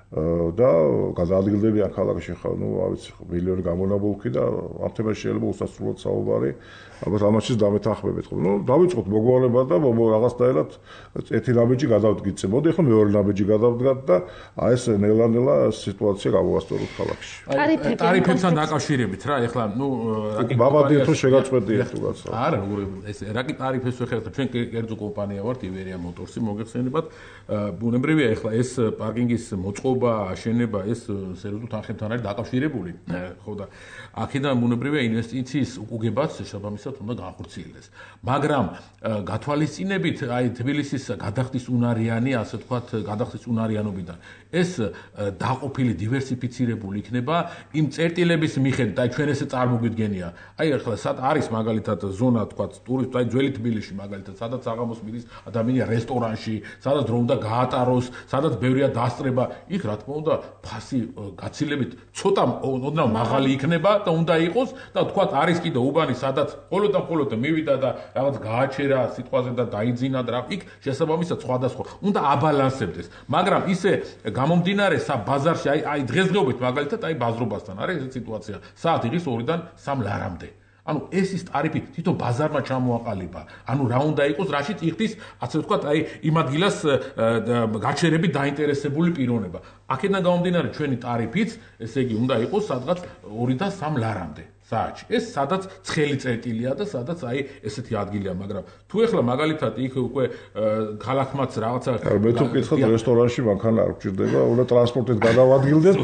და გადაადგილდებიან ქალაქში ხა, არ ვიცი, მილიონი გამონაბოლქვი და ამ თემაში შეიძლება უსასრულოდ საუბარი, ალბათ ამაშიც დამეთანხმებით. დავიწყოთ მოგვარება და რაღაცნაირად ერთი ნაბიჯი გადავდგით. მოდი ახლა მეორე ნაბიჯი გადავდგათ და აი ეს ნელა-ნელა სიტუაცია გავუასწოროთ ქალაქში. ტარიფებთან დაკავშირებით რა, ეხლა ბაბადიო თუ შეგაწყვეტიეთ თუ რაც. არა, ეს რაკი ტარიფებს ვეხერხთ, ჩვენ კერძო კომპანია ვართ, ივერია მოტორსი, მოგეხსენებათ, ბუნებრივია ეხლა ეს პარკინგის მოწყობა, აშენება ეს სერიოზულ თანხებთან არის დაკავშირებული, ხო და აქედან ბუნებრივია ინვესტიციის უკუგებაც შესაბამისად უნდა განხორციელდეს. მაგრამ გათვალისწინებით აი თბილისის გადახდის უნარიანი, ასე ვთქვათ, გადახდის უნარიანობიდან ეს დაყოფილი დივერსიფიცირებული იქნება იმ წერტილების მიხედვით, აი ჩვენ ესე წარმოგვიდგენია. აი ახლა სად არის მაგალითად ზონა, ვთქვათ, ტურისტ, აი ძველი თბილისში მაგალითად, სადაც საღამოს მიდის ადამიანი რესტორანში, სადაც დრო უნდა გაატაროს, სადაც ბევრია დასწრება, იქ რა თქმა უნდა ფასი გაცილებით ცოტა ოდნავ მაღალი იქნება და უნდა იყოს და ვთქვათ არის კიდე უბანი, სადაც მხოლოდ მივიდა და რაღაც გააჩერა სიტყვაზე და დაიძინა და იქ შესაბამისად სხვადასხვა უნდა აბალანსებდეს. მაგრამ ისე გამომდინარე ბაზარში აი დღესდღეობით მაგალითად აი ბაზრობასთან არის ეს სიტუაცია. საათი ღირს 2-დან 3 ლარამდე. ანუ ეს ის ტარიფი თვითონ ბაზარმა ჩამოაყალიბა. ანუ რა უნდა იყოს, რაშიც იხდის, ასე ვთქვათ, აი იმ ადგილას გაჩერებით დაინტერესებული პიროვნება. აქედან გამომდინარე ჩვენი ტარიფიც, ესე იგი, უნდა იყოს სადღაც 2-დან 3 ლარამდე. საათში. ეს სადაც ცხელი წერტილია და სადაც აი ესეთი ადგილია, მაგრამ თუ ეხლა მაგალითად იქ უკვე ქალაქმაც რაღაცა მე თუ ვკითხოთ რესტორანში მანქანა არ გვჭირდება, უნდა ტრანსპორტით გადავადგილდეთ,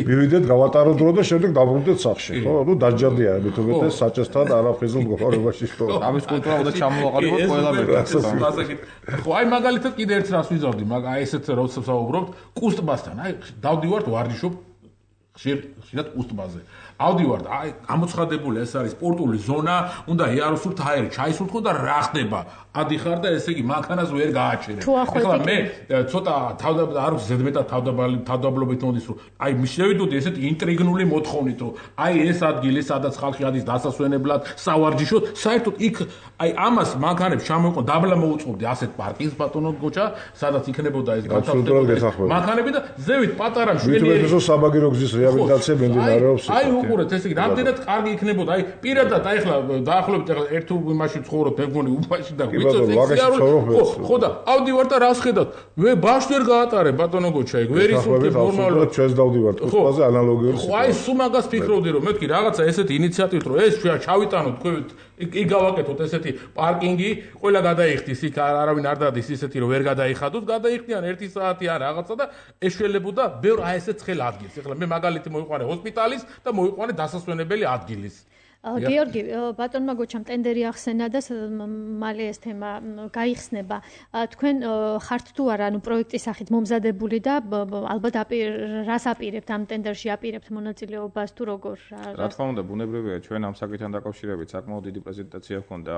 მივიდეთ, გავატაროთ დრო და შემდეგ დაბრუნდეთ სახლში, ხო? ნუ დაჯადია, მე თუ მეტეს საჭესთან არაფხიზულ მდგომარეობაში ხო. ამის კულტურა უნდა ჩამოვაყალიბოთ ყველა მერტას. ხო, აი მაგალითად კიდე ერთ რას ვიზავდი, მაგრამ აი ესეთ როდესაც ვსაუბრობთ, კუსტბასთან, აი დავდივართ ვარჯიშობ ხშირად კუსტბაზე. ავდივართ, აი გამოცხადებული ეს არის სპორტული ზონა, უნდა იაროსულთ აერი ჩაისულთქო და რა ხდება? ადიხარ და ესე იგი მანქანას ვერ გააჩერებ. ეხლა მე ცოტა არ ვიცი ზედმეტად თავდაბლობით მოდის, რომ აი მიშევიდოდი ესეთ ინტრიგნული მოთხოვნით, რომ აი ეს ადგილი, სადაც ხალხი ადის დასასვენებლად, სავარჯიშოდ, საერთოდ იქ აი ამას მანქანებს ჩამოიყვან, დაბლა მოუწყობდი ასეთ პარკინგს ბატონო გოჩა, სადაც იქნებოდა ეს განთავსებული მანქანები და ზევით პატარა შველი მითუმეტესო საბაგირო გზის რეაბილიტაცია მიმდინარეობს. აი უყურეთ, ესე იგი, რამდენად კარგი იქნებოდა, აი პირადად აი ახლა დაახლოებით ახლა ერთ უბანში ცხოვრობ, მე მგონი უბანში და ხო და ავდივარ და რას ხედავთ? მე ბაშს ვერ გაატარებ ბატონო გოჩა, ეგ ვერ ისურთებ ნორმალურად. ჩვენს დავდივართ კუსტბაზე ანალოგიური სიტუაცია. აი სულ მაგას ფიქრობდი რომ მეთქი რაღაცა ესეთი ინიციატივით რომ ეს ჩავიტანოთ თქვენ იქ გავაკეთოთ ესეთი პარკინგი, ყველა გადაიხდის იქ არავინ არ დადის ისეთი რომ ვერ გადაიხადოთ, გადაიხდიან 1 საათი ან რაღაცა და ეშველებოდა ბევრ აი ესეთ ცხელ ადგილს. ეხლა მე მაგალითი მოიყვანე ჰოსპიტალის და მოიყვანე დასასვენებელი ადგილის. გიორგი, ბატონმა გოჩამ ტენდერი ახსენა და მალე ეს თემა გაიხსნება. თქვენ ხართ თუ არა, ანუ პროექტის სახით მომზადებული და ალბათ რას აპირებთ ამ ტენდერში აპირებთ მონაწილეობას თუ როგორ? რა თქმა უნდა, ბუნებრივია, ჩვენ ამ საკითხთან დაკავშირებით საკმაოდ დიდი პრეზენტაცია ჰქონდა.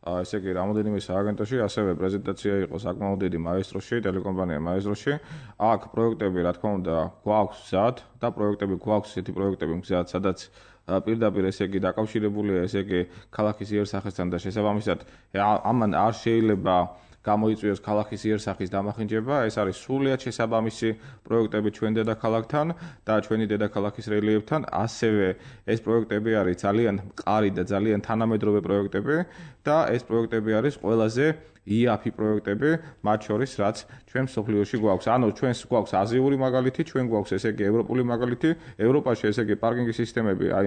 ესე იგი, რამოდენიმე სააგენტოში, ასევე პრეზენტაცია იყო საკმაოდ დიდი მაესტროში, ტელეკომპანია მაესტროში. აქ პროექტები, რა თქმა უნდა, გვაქვს მზად და პროექტები გვაქვს, ესეთი პროექტები მზად, სადაც პირდაპირ ესე იგი დაკავშირებულია ესე იგი ქალაქის იერსახესთან და შესაბამისად ამან არ შეიძლება გამოიწვიოს ქალაქის იერსახის დამახინჯება, ეს არის სრულიად შესაბამისი პროექტები ჩვენ დედაქალაქთან და ჩვენი დედაქალაქის რელიეფთან, ასევე ეს პროექტები არის ძალიან მყარი და ძალიან თანამედროვე პროექტები და ეს პროექტები არის ყველაზე IAP პროექტები, მათ შორის რაც ჩვენ სოფლიოში გვაქვს. ანუ ჩვენს გვაქვს აზიური მაგალითი, ჩვენ გვაქვს ესე იგი ევროპული მაგალითი. ევროპაში ესე იგი პარკინგის სისტემები, აი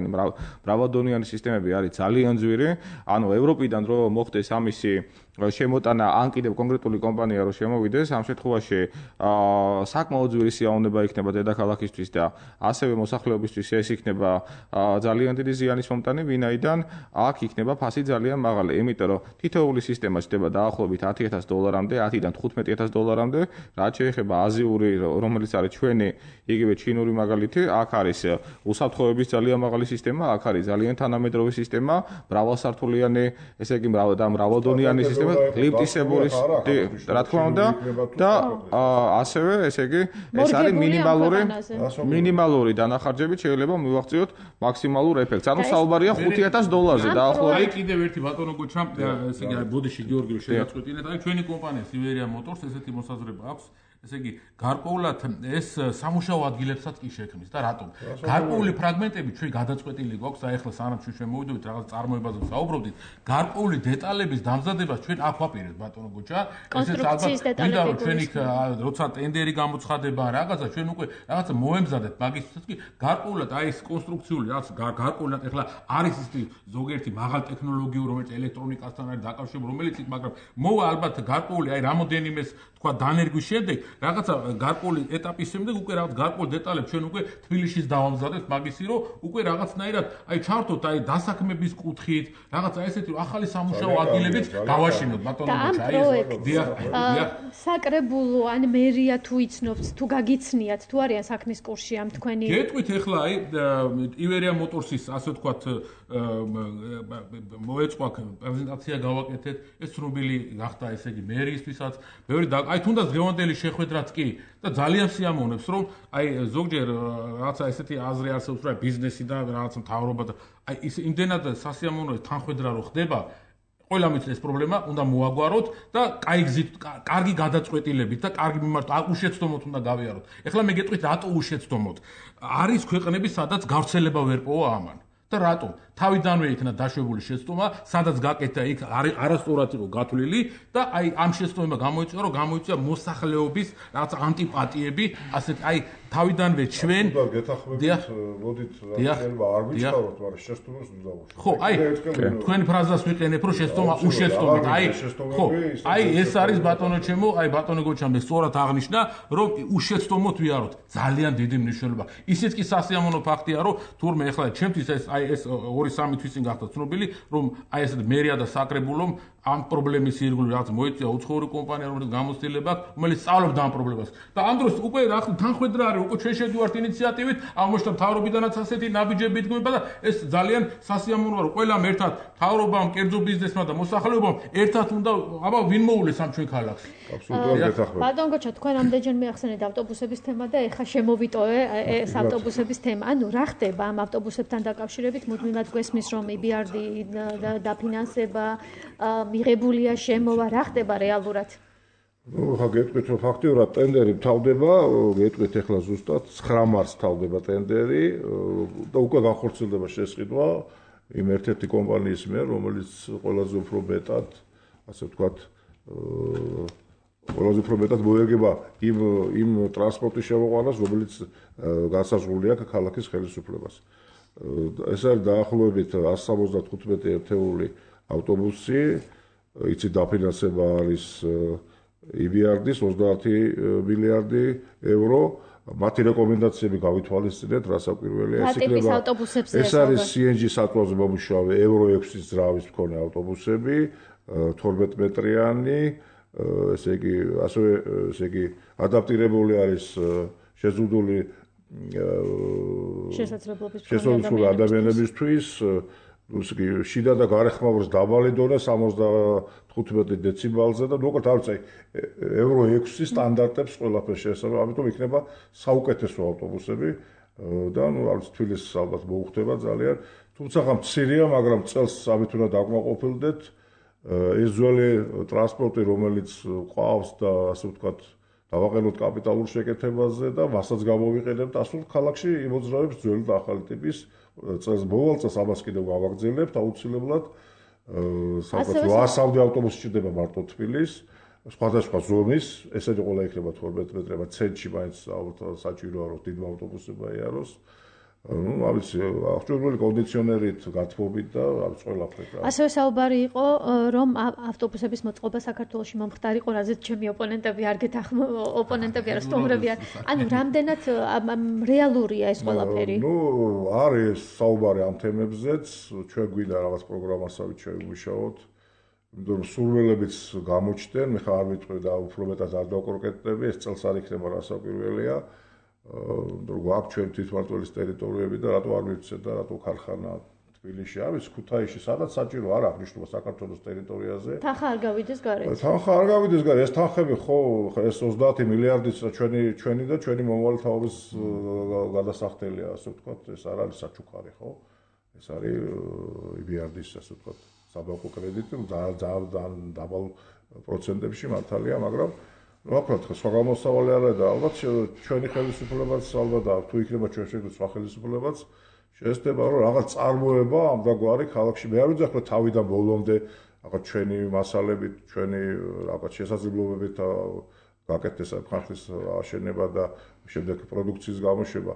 მრავალდონიანი სისტემები არის ძალიან ძვირი. ანუ ევროპიდან რო მოხდეს ამისი შემოტანა ან კიდევ კონკრეტული კომპანია რო შემოვიდეს, ამ შემთხვევაში საკმაოდ ძვირი სიამოვნება იქნება დედაქალაქისთვის და ასევე მოსახლეობისთვის ეს იქნება ძალიან დიდი ზიანის მომტანი, ვინაიდან აქ იქნება ფასი ძალიან მაღალი. იმიტომ რომ თითოეული სისტემა ხდება დაახლოებით $10,000-მდე, 10-დან $15,000-მდე, რაც შეეხება აზიური, რომელიც არის ჩვენი იგივე ჩინური მაგალითი, აქ არის უსაფრთხოების ძალიან მაღალი სისტემა, აქ არის ძალიან თანამედროვე სისტემა, მრავალსართულიანი, ესე იგი მრავალდონიანი სისტემა, ლიფტისებური, რა თქმა უნდა, და ასევე ესე იგი ეს არის მინიმალური დანახარჯებით შეიძლება მივაღწიოთ მაქსიმალურ ეფექტს. ანუ საუბარია $5,000-ზე დაახლოებით. კიდევ ერთი ბატონო გოჩა, ესე იგი ბოდიში გიორგი შეგაწყვეტინეთ, აი ჩვენი კომპანია Siberia Motors ესეთი მოსაზრება აქვს. ესე იგი, გარკვეულად ეს სამუშაო ადგილებსაც კი შექმნის და რატომ? გარკვეული ფრაგმენტები ჩვენ გადაწყვეტილი გვაქვს, აი ახლა სანამ ჩვენ მოვიდოდით რაღაც წარმოებაზე ვსაუბრობდით, გარკვეული დეტალების დამზადებას ჩვენ აქ ვაპირებთ ბატონო გოჩა. ესეც ალბათ მინდა რომ ჩვენ იქ როცა ტენდერი გამოცხადება რაღაცა ჩვენ უკვე რაღაცა მოემზადებთ მაგისთვისაც კი გარკვეულად აი ეს კონსტრუქციული რაღაც გარკვეულად ახლა არის ის ზოგიერთი მაღალ ტექნოლოგიური რომელიც ელექტრონიკასთან არის დაკავშირებული რომელიც მაგრამ მოვა ალბათ გარკვეული აი რამოდენიმეს თქვა დანერგვის შემდეგ რაღაცა გარკვეული ეტაპის შემდეგ უკვე რაღაც გარკვეულ დეტალებს ჩვენ უკვე თბილისშიც დავამზადებთ მაგისი რომ უკვე რაღაცნაირად აი ჩავთოთ აი დასაქმების კუთხით რაღაცა ესეთი ახალი სამუშაო ადგილებიც გავაშინოთ ბატონო გოჩა აი საკრებულო ან მერია თუ იცნობთ თუ გაგიცნიათ თუ არიან საქმის კურსში ამ თქვენი გეტყვით ახლა აი ივერია მოტორსის ასე ვთქვათ მოეწყვა პრეზენტაცია გავაკეთეთ ეს ცნობილი გახდა ესე იგი მერიისთვისაც ბევრი აი თუნდაც დღევანდელი შეხვედრაც კი და ძალიან სიამოვნებს რომ აი ზოგჯერ რაღაცა ესეთი აზრი არსებობს რომ ბიზნესი და რაღაც მთავრობა და აი ის იმდენად სასიამოვნო თანხმედრა რო ხდება ყველა მის ეს პრობლემა უნდა მოაგვაროთ და კაი გზით კარგი გადაწყვეტილებით და კარგი მიმართვა უშეცდომოთ უნდა გავიაროთ. ეხლა მე გეტყვით რატო უშეცდომოთ? არის ქვეყნები სადაც გავრცელება ვერ პოვა ამან. და რატო? თავიდანვე იქნა დაშვებული შეცდომა, სადაც გაკეთდა იქ არასწორად იყო გათვლილი და აი ამ შეცდომა გამოიწვია, რომ გამოიწვია მოსახლეობის რაღაც ანტიპატიები, ასეთ აი თავიდანვე ჩვენ გეთახმებით, მოდით რაღაცა არ ვიჩქაროთ, მაგრამ შეცდომას უნდა დავუშვათ. ხო, აი თქვენ ფრაზას ვიყენებ, რომ შეცდომა უშეცდომით, აი ხო, აი ეს არის ბატონო ჩემო, აი ბატონო გოჩამ სწორად აღნიშნა, რომ უშეცდომოთ ვიაროთ. ძალიან დიდი მნიშვნელობა. ისიც კი სასიამოვნო ფაქტია, რომ თურმე ეხლა ჩემთვის ეს აი ეს 2-3 თვის წინ გახდა ცნობილი, რომ აი ეს მერია და საკრებულომ ამ პრობლემის ირგვლივ რაღაც მოიწვია უცხოური კომპანია, რომელიც გამოცდილება აქვს, რომელიც სწავლობდა ამ პრობლემას. და ამ დროს უკვე რა თანხმედრა არის, უკვე ჩვენ შევდივართ ინიციატივით, აღმოჩნდა მთავრობიდანაც ასეთი ნაბიჯები იდგმება და ეს ძალიან სასიამოვნოა, რომ ყველამ ერთად მთავრობამ, კერძო ბიზნესმა და მოსახლეობამ ერთად უნდა აბა ვინ მოულეს ამ ჩვენ ქალაქს. აბსოლუტურად გეთახმებით. ბატონ გოჩა, თქვენ ამდენჯერმე ახსენეთ ავტობუსების თემა და ეხა შემოვიტოვე ეს ავტობუსების თემა. ანუ რა ხდება ამ ავტობუსებთან დაკავშირებით? მუდმივად გვესმის, რომ EBRD დაფინანსება მიღებულია, შემოვა, რა ხდება რეალურად? ნუ ხა გეტყვით რომ ფაქტიურად ტენდერი მთავრდება, გეტყვით ახლა ზუსტად 9 მარტს მთავრდება ტენდერი და უკვე განხორციელდება შესყიდვა იმ ერთ-ერთი კომპანიის მიერ, რომელიც ყველაზე უფრო მეტად, ასე ვთქვათ, ყველაზე უფრო მეტად მოერგება იმ ტრანსპორტის შემოყვანას, რომელიც განსაზღვრული აქვს ქალაქის ხელისუფლებას. ეს არის დაახლოებით 175 ერთეული ავტობუსი, იცი დაფინანსება არის EBRD-ის 30 მილიარდი euро, მათი რეკომენდაციები გავითვალისწინეთ, რასაკვირველია, ეს იქნება ეს არის CNG საწვავზე მომუშავე Euro 6-ის ძრავის მქონე ავტობუსები, 12 მეტრიანი, ესე იგი, ასევე ესე იგი, ადაპტირებული არის შეზღუდული შესაძლებლობები ადამიანებისთვის, შიდა და გარეხმაურის დაბალი დონე 75 დეციბალზე და მოკლედ არ ვიცი Euro 6-ის სტანდარტებს ყველაფერს შეესაბამება, ამიტომ იქნება საუკეთესო ავტობუსები და ნუ არ ვიცი თბილისს ალბათ მოუხდება ძალიან, თუმცა მცირეა, მაგრამ წელს ამით უნდა დაკმაყოფილდეთ. ეს ძველი ტრანსპორტი, რომელიც ყავს და ასე ვთქვათ, დავაყენოთ კაპიტალურ შეკეთებაზე და მასაც გამოვიყენებთ ასულ ქალაქში იმოძრავებს ძველი და ახალი ტიპის წელს მოვალ წელს ამას კიდევ გავაგრძელებთ აუცილებლად. საერთოდ 800 ავტობუსი ჭირდება მარტო თბილის, სხვადასხვა ზომის, ესეთი ყველა იქნება 12 მეტრება ცენტრში მაინც საჭიროა რომ დიდ ავტობუსებია იაროს. ნუ არ ვიცი, აღჭურვილი კონდიციონერით გათბობით და არ ვიცი ყველაფერი. ასევე საუბარი იყო, რომ ავტობუსების მოწყობა საქართველოში მომხდარიყო, რაზეც ჩემი ოპონენტები არ ოპონენტები არა, სტუმრები არა. ანუ რამდენად რეალურია ეს ყველაფერი? ნუ არის საუბარი ამ თემებზეც, ჩვენ გვინდა რაღაც პროგრამასავით შევიმუშაოთ. იმიტომ რომ სურვილებიც გამოჩნდნენ, მე ხარ არ ვიტყვი და უფრო მეტად არ დავკონკრეტები, ეს წელს არ იქნება რასაკვირველია. გვაქვს ჩვენ თვითმმართველის ტერიტორიები და რატო არ მივცეთ და რატო ქარხანა თბილისში არის, ქუთაისში, სადაც საჭირო არ აქვს ნიშნობა საქართველოს ტერიტორიაზე. თანხა არ გავიდეს გარეთ. თანხა არ გავიდეს გარეთ, ეს თანხები ხო, ეს 30 მილიარდიც ჩვენი და ჩვენი მომავალი თაობის გადასახდელია, ასე ვთქვათ, ეს არ არის საჩუქარი, ხო? ეს არის EBRD-ის, ასე ვთქვათ, საბანკო კრედიტი, ძალიან დაბალ პროცენტებში მართალია, მაგრამ ვაფრთხილებ, სხვა გამოსავალი არა და ალბათ ჩვენი ხელისუფლებაც ალბათ და თუ იქნება ჩვენ შეგვიძლია სხვა ხელისუფლებაც შეესწრება რომ რაღაც წარმოება ამდაგვარი ქალაქში მე არ ვიძახო თავიდან ბოლომდე რაღაც ჩვენი მასალებით, ჩვენი რაღაც შესაძლებლობებით გაკეთდეს ხალხის აშენება და შემდეგ პროდუქციის გამოშვება.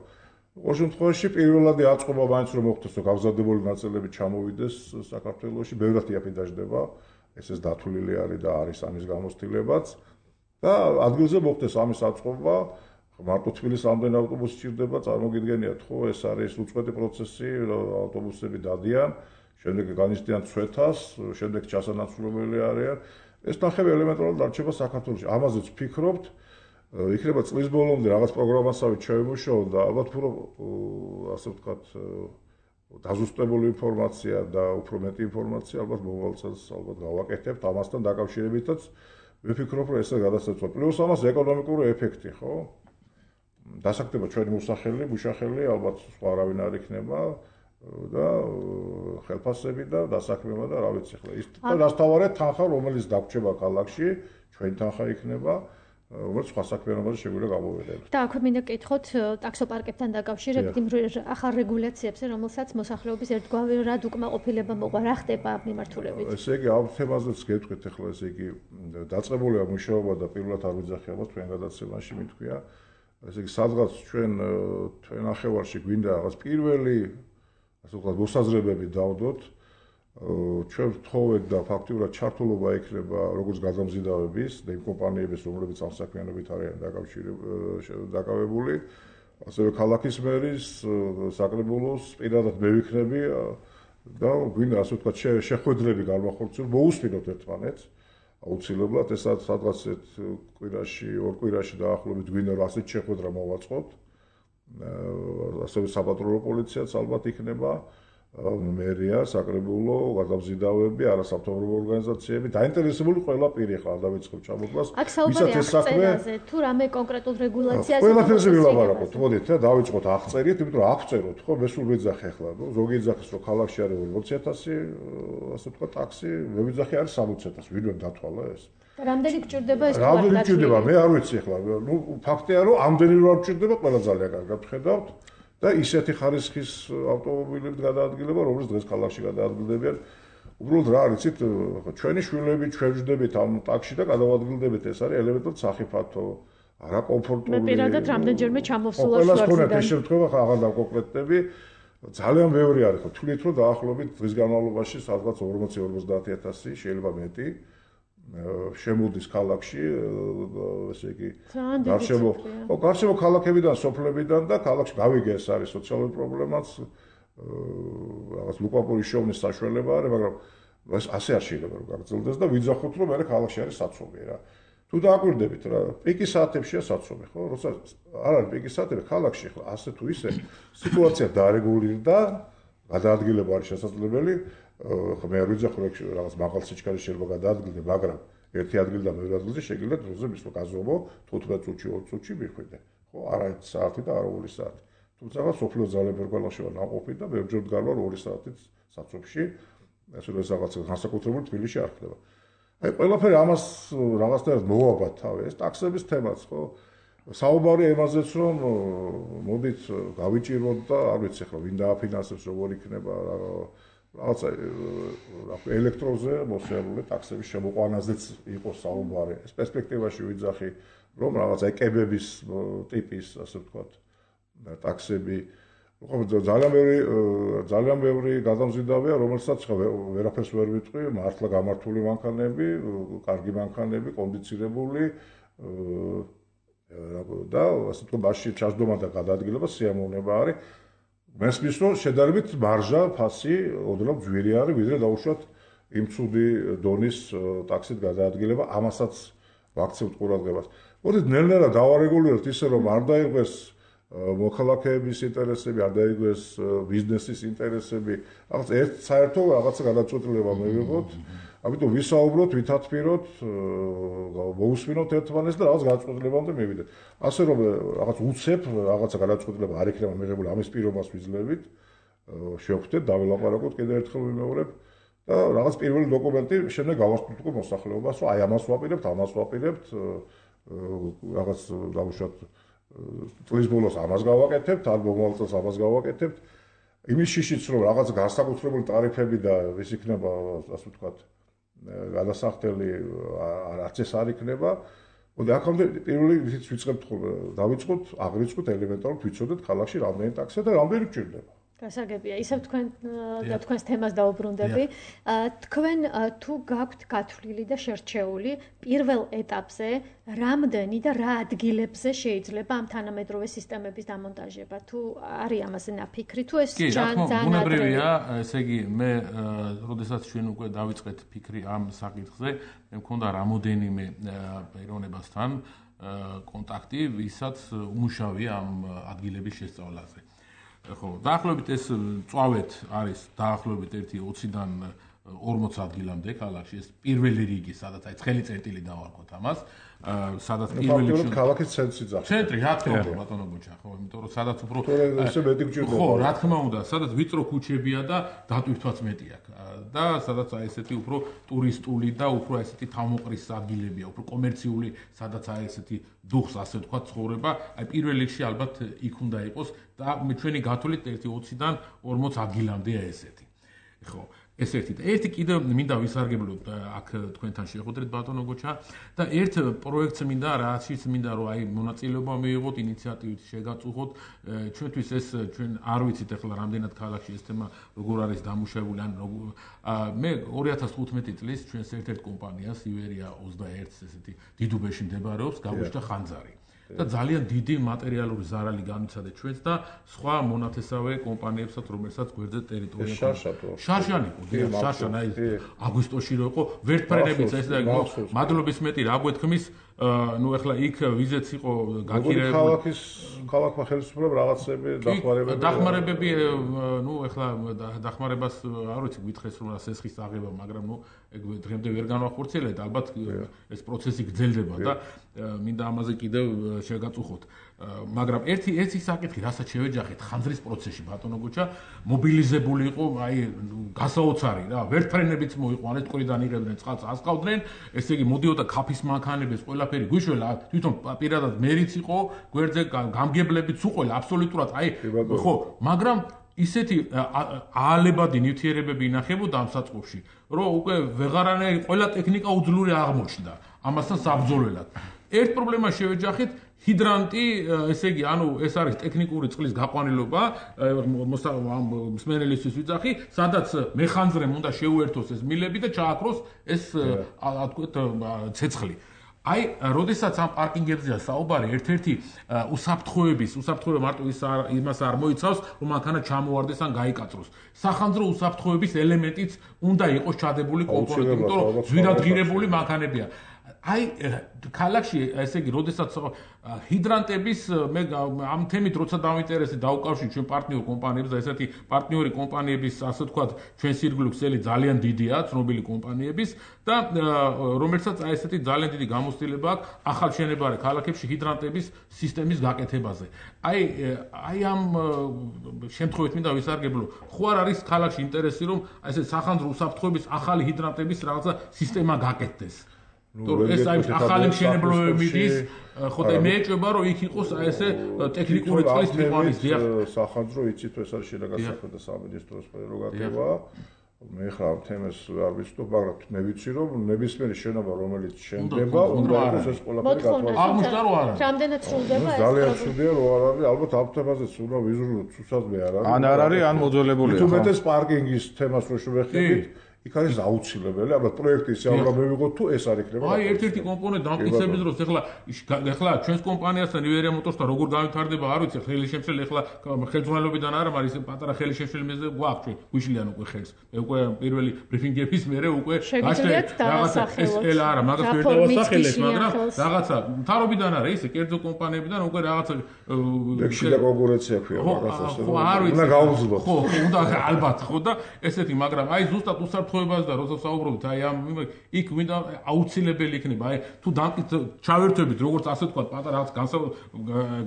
Ყოველ შემთხვევაში პირველადი აწყობა მაინც რომ მოხდეს, რომ გავზადებული ნაწილები ჩამოვიდეს საქართველოში, ბევრად იაფი დაждდება, ესეც დათვლილი არის და არის ამის გამოცდილებაც და ადგილზე მოხდეს ამის აწყობა, მარტო თბილისს ამდენ ავტობუსი სჭირდება, წარმოგიდგენიათ, ხო, ეს არის უწყვეტი პროცესი, ავტობუსები დადიან, შემდეგ განიცდიან ცვეთას, შემდეგ ჩასანაცვლებელი არიან. ეს ნახევარი ელემენტარულად დარჩება საქართველოში. ამაზეც ვფიქრობთ, იქნება წლის ბოლომდე რაღაც პროგრამასავით შევიმუშაოთ და ალბათ უფრო ასე ვთქვათ დაზუსტებული ინფორმაცია და უფრო მეტი ინფორმაცია ალბათ მომავალ წელს ალბათ გავაკეთებთ ამასთან დაკავშირებითაც ვიფიქრობ რომ ესე გადასაცვლად. პლუს ამას ეკონომიკური ეფექტი, ხო? დასაკეთება ჩვენი მოსახელი, მუშახელი ალბათ სხვა არავინ არ იქნება და ხელფასები და დასაქმება და რა ვიცი ახლა ის დასთავარეთ თანხა რომელიც დაგვრჩება ქალაქში, ჩვენი თანხა იქნება როგორც სხვა საქმიანობაში შეგვიძლია გამოვიდეთ. და აქვე მინდა გკითხოთ ტაქსოპარკებთან დაკავშირებით იმ ახალ რეგულაციებზე, რომელსაც მოსახლეობის ერთგვარი რად უკმაყოფილება მოყვა, რა ხდება მიმართულებით? ესე იგი ამ თემაზეც გეტყვით ახლა ესე იგი დაწყებულია მუშაობა და პირველად არ ვიძახი ალბათ თქვენ გადაცემაში მithქვია. ესე იგი სადღაც ჩვენ ნახევარში გვინდა რაღაც პირველი ასე ვთქვათ მოსაზრებები დავდოთ. ჩვენ ვთხოვეთ და ფაქტიურად ჩართულობა იქნება როგორც გადამზიდავების და იმ კომპანიების, რომლებიც ამ საქმიანობით არიან დაკავებული, ასევე ქალაქის მერის, საკრებულოს, პირადად მე ვიქნები და გვინდა ასე ვთქვათ შეხვედრები განვახორციელოთ, მოусმინოთ ერთმანეთს. აუცილებლად ეს სადღაც კვირაში, ორ კვირაში დაახლოებით გვინდა რომ ასეთ შეხვედრა მოვაწყოთ. ასევე საპატრულო პოლიციაც ალბათ იქნება. მერია, საკრებულო, გადამზიდავები, არასამთავრობო ორგანიზაციები, დაინტერესებული ყველა პირი ხარ დავიწყებ ჩამოთვლას. ვისაც ეს საქმე თუ რამე კონკრეტულ რეგულაციაზე ყველაფერზე ვილაპარაკოთ, მოდით და დავიწყოთ აღწერით, იმიტომ რომ აღწეროთ, ხო, მე სულ ვიძახე ახლა, ნუ ზოგი იძახის რომ ქალაქში არის 40,000, ასე ვთქვათ, ტაქსი, მე ვიძახე არის 60,000, ვინმე დათვალა ეს. რამდენი გჭირდება ეს თვალი? რამდენი გჭირდება? მე არ ვიცი ახლა, ნუ ფაქტია რომ ამდენი რო არ გჭირდება, ყველა ძალიან კარგად ვხედავთ. და ისეთი ხარისხის ავტომობილებით გადაადგილება, რომელიც დღეს ქალაქში გადაადგილდებიან. უბრალოდ რა არიცით, ჩვენი შვილები ჩვენ ვждებით ამ ტაქსში და გადავადგილდებით, ეს არის ელემენტარულად სახიფათო, არაკომფორტული. მე პირადად რამდენჯერმე ჩამოსულა ყველას ქონეთ ეს შემთხვევა, ხა აღარ დავკონკრეტები. ძალიან ბევრი არის, ხო, თვლით რომ დაახლოებით დღის განმავლობაში სადღაც 40-50,000 შეიძლება მეტი. შემოდის ქალაქში, ესე იგი, გარშემო ქალაქებიდან, სოფლებიდან და ქალაქში გავიგე ეს არის სოციალური პრობლემაც, რაღაც ლუკაპურის შოვნის საშუალება არის, მაგრამ ეს ასე არ შეიძლება რომ გაგრძელდეს და ვიძახოთ რომ მე ქალაქში არის საცობი რა. თუ დააკვირდებით რა, პიკის საათებშია საცობი, ხო? როცა არ არის პიკის საათები ქალაქში, ხო, ასე თუ ისე სიტუაცია დაარეგულირდა, გადაადგილება არის შესაძლებელი. ხო მე არ ვიძახო რომ რაღაც მაღალ სიჩქარე შეიძლება გადაადგილდე, მაგრამ ერთი ადგილიდან მეორე ადგილზე შეგიძლია დროზე მისვლა გაზომო 15 წუთში, 20 წუთში მიხვიდე. ხო, არა 1 საათი და არა 2 საათი. თუმცა სოფლიო ძალიან ბევრ ქალაქში ვარ ნაყოფი და ბევრჯერ ვდგარ 2 საათით საცობში. ასე რომ ეს რაღაც განსაკუთრებული თბილისში არ ხდება. აი ყველაფერი ამას რაღაცნაირად მოვაბათ თავი, ეს ტაქსების თემაც, ხო? საუბარი ემაზეც რომ მოდით გავიჭიროთ და არ ვიცი ახლა ვინ დააფინანსებს, როგორ იქნება რაღაცა ელექტროზე მოსიარულე ტაქსების შემოყვანაზეც იყო საუბარი. ეს პერსპექტივაში ვიძახი რომ რაღაც ეკებების ტიპის, ასე ვთქვათ, ტაქსები ხო ძალიან ბევრი გადამზიდავია, რომელსაც ვერაფერს ვერ ვიტყვი, მართლა გამართული მანქანები, კარგი მანქანები, კონდიცირებული და ასე ვთქვათ, მასში ჩასდომა და გადაადგილება სიამოვნება არის. მესმის რომ შედარებით მარჟა ფასი ოდნავ ძვირი არის, ვიდრე დაუშვათ იმ ცუდი დონის ტაქსით გადაადგილება, ამასაც ვაქცევთ ყურადღებას. მოდით ნელ-ნელა დავარეგულიროთ ისე რომ არ დაიღეს მოქალაქეების ინტერესები, არ დაიღეს ბიზნესის ინტერესები, რაღაც ერთ საერთო რაღაცა გადაწყვეტილება მივიღოთ. ამიტომ ვისაუბროთ, ვითათბიროთ, მოусმინოთ ერთმანეთს და რაღაც გადაწყვეტილებამდე მივიდეთ. ასე რომ რაღაც უცებ რაღაცა გადაწყვეტილება არ იქნება მიღებული, ამის პირობას ვიძლევით, შევხვდეთ, დაველაპარაკოთ კიდევ ერთხელ ვიმეორებ და რაღაც პირველი დოკუმენტი შემდეგ გავასტუთყო მოსახლეობას, რომ აი ამას ვაპირებთ, ამას ვაპირებთ, რაღაც დავუშვათ წლის ბოლოს ამას გავაკეთებთ, ან მომავალ წელს ამას გავაკეთებთ. იმის შიშიც რომ რაღაც განსაკუთრებული ტარიფები და ის იქნება, ასე ვთქვათ, გადასახდელი არც ეს არ იქნება. მოდი აქამდე პირველი ისიც ვიწყებთ ხოლმე, დავიწყოთ, აღრიცხოთ ელემენტარულად ვიცოდეთ ქალაქში რამდენი ტაქსია და რამდენი გჭირდება. გასაგებია, ისევ თქვენ და თქვენს თემას დაუბრუნდები. თქვენ თუ გაქვთ გათვლილი და შერჩეული პირველ ეტაპზე რამდენი და რა ადგილებზე შეიძლება ამ თანამედროვე სისტემების დამონტაჟება? თუ არის ამაზე ნაფიქრი, თუ ეს ძალიან ბუნებრივია, ესე იგი მე როდესაც ჩვენ უკვე დავიწყეთ ფიქრი ამ საკითხზე, მე მქონდა რამოდენიმე პიროვნებასთან კონტაქტი, ვისაც უმუშავია ამ ადგილების შესწავლაზე. ხო, დაახლოებით ეს წვავეთ არის დაახლოებით 1-20-დან 40 ადგილამდე ქალაქში, ეს პირველი რიგი, სადაც აი ცხელი წერტილი დავარქოთ ამას, სადაც პირველი რიგი ქალაქის ცენტრი ძახს. ცენტრი, რა თქმა უნდა, ბატონო გუჩა, ხო, იმიტომ რომ სადაც უფრო ესე მეტი გჭირდება. ხო, რა თქმა უნდა, სადაც ვიწრო ქუჩებია და დატვირთვაც მეტი აქვს. და სადაც აი ესეთი უფრო ტურისტული და უფრო ესეთი თავმოყრის ადგილებია, უფრო კომერციული, სადაც აი ესეთი დუხს ასე ვთქვათ ცხოვრება, აი პირველ რიგში ალბათ იქ უნდა იყოს და ჩვენი გათვლით 1-20-დან 40 ადგილამდეა ესეთი. ხო, ეს ერთი და ერთი კიდევ მინდა ვისარგებლოთ აქ თქვენთან შეხვედრით ბატონო გოჩა და ერთ პროექტს მინდა რაშიც მინდა რომ აი მონაწილეობა მიიღოთ ინიციატივით შეგაწუხოთ ჩვენთვის ეს ჩვენ არ ვიცით ახლა რამდენად ქალაქში ეს თემა როგორ არის დამუშავებული ან მე 2015 წლის ჩვენს ერთ-ერთ კომპანიას ივერია 21-ს ესეთი დიდუბეში მდებარეობს გაგვიშთა ხანძარი და ძალიან დიდი მატერიალური ზარალი განიცადა ჩვენს და სხვა მონათესავე კომპანიებსაც, რომელსაც გვერდზე ტერიტორია შარშანი იყო, შარშანა აგვისტოში რო იყო, ვერტფრენებიც ეს და მადლობის მეტი რა გვეთქმის, ნუ ახლა იქ ვიზეც იყო გაქირებული. ქალაქმა ხელისუფლებამ რაღაცები დახმარებები, ნუ ახლა დახმარებას არ ვიცი გითხეს რომ სესხის აღება, მაგრამ ნუ ეგ დღემდე ვერ განვახორციელებთ, ალბათ ეს პროცესი გრძელდება და მინდა ამაზე კიდევ შეგაწუხოთ. მაგრამ ერთი საკითხი, რასაც შევეჯახეთ ხანძრის პროცესში ბატონო გუჩა, მობილიზებული იყო, აი გასაოცარი რა, ვერტფრენებიც მოიყვანეს, ტყვრიდან იღებდნენ წყალს, ასყავდნენ, ესე იგი მოდიოდა ქაფის მანქანების ყველაფერი გვიშველა, თვითონ პირადად მერიც იყო, გვერდზე გამგებლებიც უყველა, აბსოლუტურად, აი ხო, მაგრამ ისეთი აალებადი ნივთიერებები ინახებოდა ამ საწყობში, რომ უკვე ვეღარანაირი ყველა ტექნიკა უძლური აღმოჩნდა ამასთან საბრძოლველად. ერთ პრობლემას შევეჯახეთ ჰიდრანტი, ესე იგი, ანუ ეს არის ტექნიკური წყლის გაყვანილობა, მსმენელისთვის ვიძახი, სადაც მეხანძრემ უნდა შეუერთოს ეს მილები და ჩააქროს ეს თქვათ ცეცხლი. აი, როდესაც ამ პარკინგებზეა საუბარი, ერთ-ერთი უსაფრთხოება მარტო იმას არ მოიცავს, რომ მანქანა ჩამოვარდეს ან გაიკაწროს. სახანძრო უსაფრთხოების ელემენტიც უნდა იყოს ჩადებული კომპონენტი, იმიტომ რომ ძვირადღირებული მანქანებია. აი ქალაქში ესე იგი როდესაც ჰიდრანტების მე ამ თემით როცა დავინტერესდი დაუკავშირე ჩვენ პარტნიორ კომპანიებს და ესეთი პარტნიორი კომპანიების ასე ვთქვათ ჩვენ სირგული ქსელი ძალიან დიდია ცნობილი კომპანიების და რომელსაც აი ესეთი ძალიან დიდი გამოცდილება აქვს ახალ შენებარე ქალაქებში ჰიდრანტების სისტემის გაკეთებაზე. აი ამ შემთხვევით მინდა ვისარგებლო ხო არ არის ქალაქში ინტერესი რომ აი ესე სახანძრო უსაფრთხოების ახალი ჰიდრანტების რაღაცა სისტემა გაკეთდეს. ეს აი ახალი მშენებლობები მიდის, ხო და მე ეჭვება რომ იქ იყოს აი ესე ტექნიკური წყლის მიღების დიახ სახანძრო იცით ეს არის შინაგან საქმეთა სამინისტროს პრეროგატივა. მე ხარ ამ თემას არ ვიცნობ, მაგრამ მე ვიცი რომ ნებისმიერი შენობა რომელიც შენდება, უნდა იყოს ეს ყველაფერი გათვალისწინებული. აღმოჩნდა რომ არა. რამდენად სრულდება ეს? ძალიან სრულია რომ არ არის, ალბათ ამ თემაზეც უნდა ვიზრუნოთ, სუსადმე არ არის. ან არ არის, ან მოძველებულია. თუ მეტეს პარკინგის თემას რო შევეხებით, იქ არის აუცილებელი, ალბათ პროექტი ისე აღარ მივიღოთ თუ ეს არ იქნება. აი ერთ-ერთი კომპონენტი დამტკიცების დროს ეხლა ჩვენს კომპანიასთან ივერია მოტორსთან როგორ განვითარდება, არ ვიცი, ხელისშემშელი ეხლა ხელმძღვანელობიდან არ არის პატარა ხელისშემშელი მეზე გვაქვს ჩვენ, გვიშლიან უკვე ხელს. მე უკვე პირველი ბრიფინგების მერე უკვე რაღაცა ეს ელ არა, მაგას ვერ დავასახელებ, მაგრამ რაღაცა მთავრობიდან არა, ისე კერძო კომპანიებიდან უკვე რაღაცა ლექსი და კონკურენცია ქვია მაგას ასე. ხო, არ ვიცი. უნდა გაუძლოთ. ხო, უნდა ალბათ, ხო და ესეთი, მაგრამ აი ზუსტად უსაფრთხო უსაფრთხოებას და როცა საუბრობთ აი ამ იქ მინდა აუცილებელი იქნება აი თუ ჩავერთვებით როგორც ასე ვთქვათ პატარა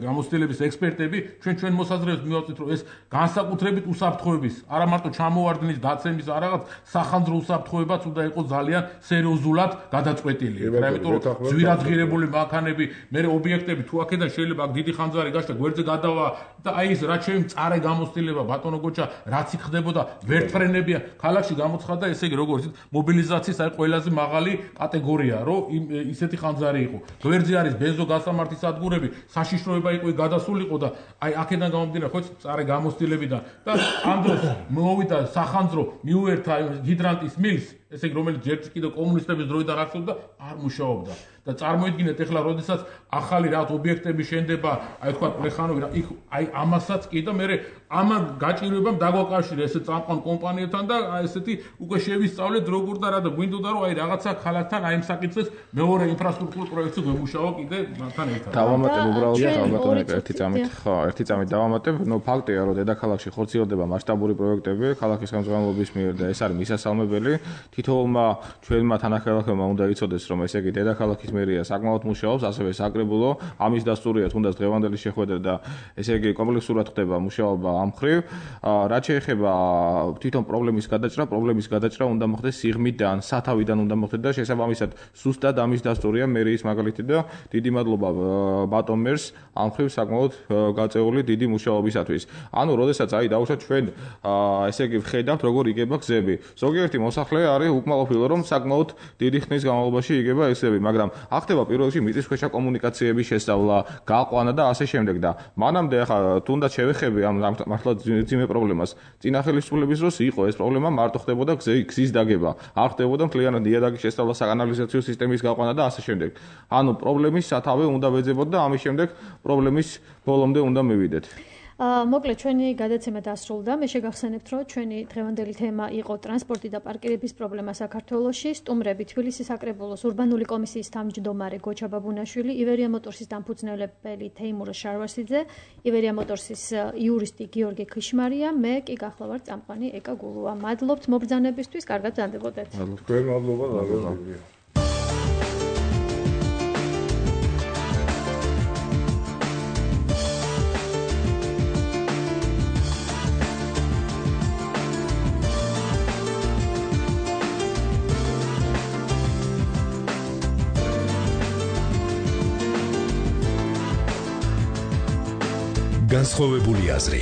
გამოცდილების ექსპერტები ჩვენ მოსაზრებას მივაწვით რომ ეს განსაკუთრებით უსაფრთხოების არა მარტო ჩამოვარდნის დაცემის რაღაც სახანძრო უსაფრთხოებაც უნდა იყოს ძალიან სერიოზულად გადაწყვეტილი იმიტომ რომ ძვირადღირებული მანქანები მე ობიექტები თუ აქედან შეიძლება დიდი ხანძარი გაშლა გვერდზე გადავა და აი ეს რაც მწარე გამოცდილება ბატონო გოჩა რაც იქ ხდებოდა ვერტფრენებია ქალაქში გამოცხადა ესე იგი როგორც მობილიზაციის აი ყველაზე მაღალი კატეგორია რომ ისეთი ხანძარი იყო გვერდზე არის ბენზო გასამართის სადგურები საშიშროება იყო გადასულიყო და აი აქედან გამომდინარე ხო მწარე გამოცდილებიდან და ამ დროს მოვიდა სახანძრო მიუერთა ჰიდრანტის მილს ესე იგი რომელიც ჯერ კიდევ კომუნისტების დროიდან არსებობდა არ მუშაობდა და წარმოიდგინეთ ეხლა როდესაც ახალი რაღაც ობიექტები შენდება აი თქვა პლეხანოვი იქ აი ამასაც კი და მე ამან გაჭირვებამ დაგვაკავშირა ესე წამყვან კომპანიებთან და აი ესეთი უკვე შევისწავლეთ როგორ და რა და გვინდოდა რომ აი რაღაცა ქალაქთან აი ამ საკითხს მეორე ინფრასტრუქტურულ პროექტს გვემუშავა კიდე მათთან ერთად დავამატებ უბრალოდ ერთი წამით დავამატებ ნუ ფაქტია რომ დედაქალაქში ხორციელდება მასშტაბური პროექტები ქალაქის ხელმძღვანელობის მიერ და ეს არის მისასალმებელი თითოეულმა ჩვენმა თანახმადებელმა უნდა იცოდეს რომ ესე იგი დედაქალაქის მერია საკმაოდ მუშაობს ასევე საკრებულო ამის დასტურია თუნდაც დღევანდელი შეხვედრა და ესე იგი კომპლექსურად ხდება მუშაობა ამ მხრივ რაც შეეხება თვითონ პრობლემის გადაჭრა უნდა მოხდეს სიღრმიდან სათავიდან უნდა მოხდეს და შესაბამისად სუსტად ამის დასტურია მერიის მაგალითი და დიდი მადლობა ბატონ მერს ამ მხრივ საკმაოდ გაწეული დიდი მუშაობისათვის ანუ როდესაც აი დაუშვათ ჩვენ ესე იგი ვხედავთ როგორ იგება გზები ზოგიერთი მოსახლე არის უკმაყოფილო რომ საკმაოდ დიდი ხნის განმავლობაში იგება ესები მაგრამ ახდება პირველ რიგში მიწისქვეშა კომუნიკაციების შესწავლა გაყვანა და ასე შემდეგ და მანამდე ახლა თუნდაც შევეხები ამ მართლა ძიმე პრობლემას წინა ხელისუფლების დროს იყო ეს პრობლემა მარტო ხდებოდა გზის დაგება არ ხდებოდა მთლიანად ნიადაგის შესწავლა საკანალიზაციო სისტემის გაყვანა და ასე შემდეგ ანუ პრობლემის სათავე უნდა ვეძებოთ და ამის შემდეგ პრობლემის ბოლომდე უნდა მივიდეთ მოკლედ ჩვენი გადაცემა დასრულდა. მე შეგახსენებთ, რომ ჩვენი დღევანდელი თემა იყო ტრანსპორტი და პარკირების პრობლემა საქართველოში. სტუმრები თბილისის საკრებულოს ურბანული კომისიის თავმჯდომარე გოჩა ბაბუნაშვილი, ივერია მოტორსის დამფუძნებელი თეიმურ შარვასიძე, ივერია მოტორსის იურისტი გიორგი ქიშმარია, მე კი გახლავართ წამყვანი ეკა გულუა. მადლობთ მობრძანებისთვის, კარგად ბრძანდებოდეთ. თქვენ მადლობა დაგეგმილია. განსხვავებული აზრი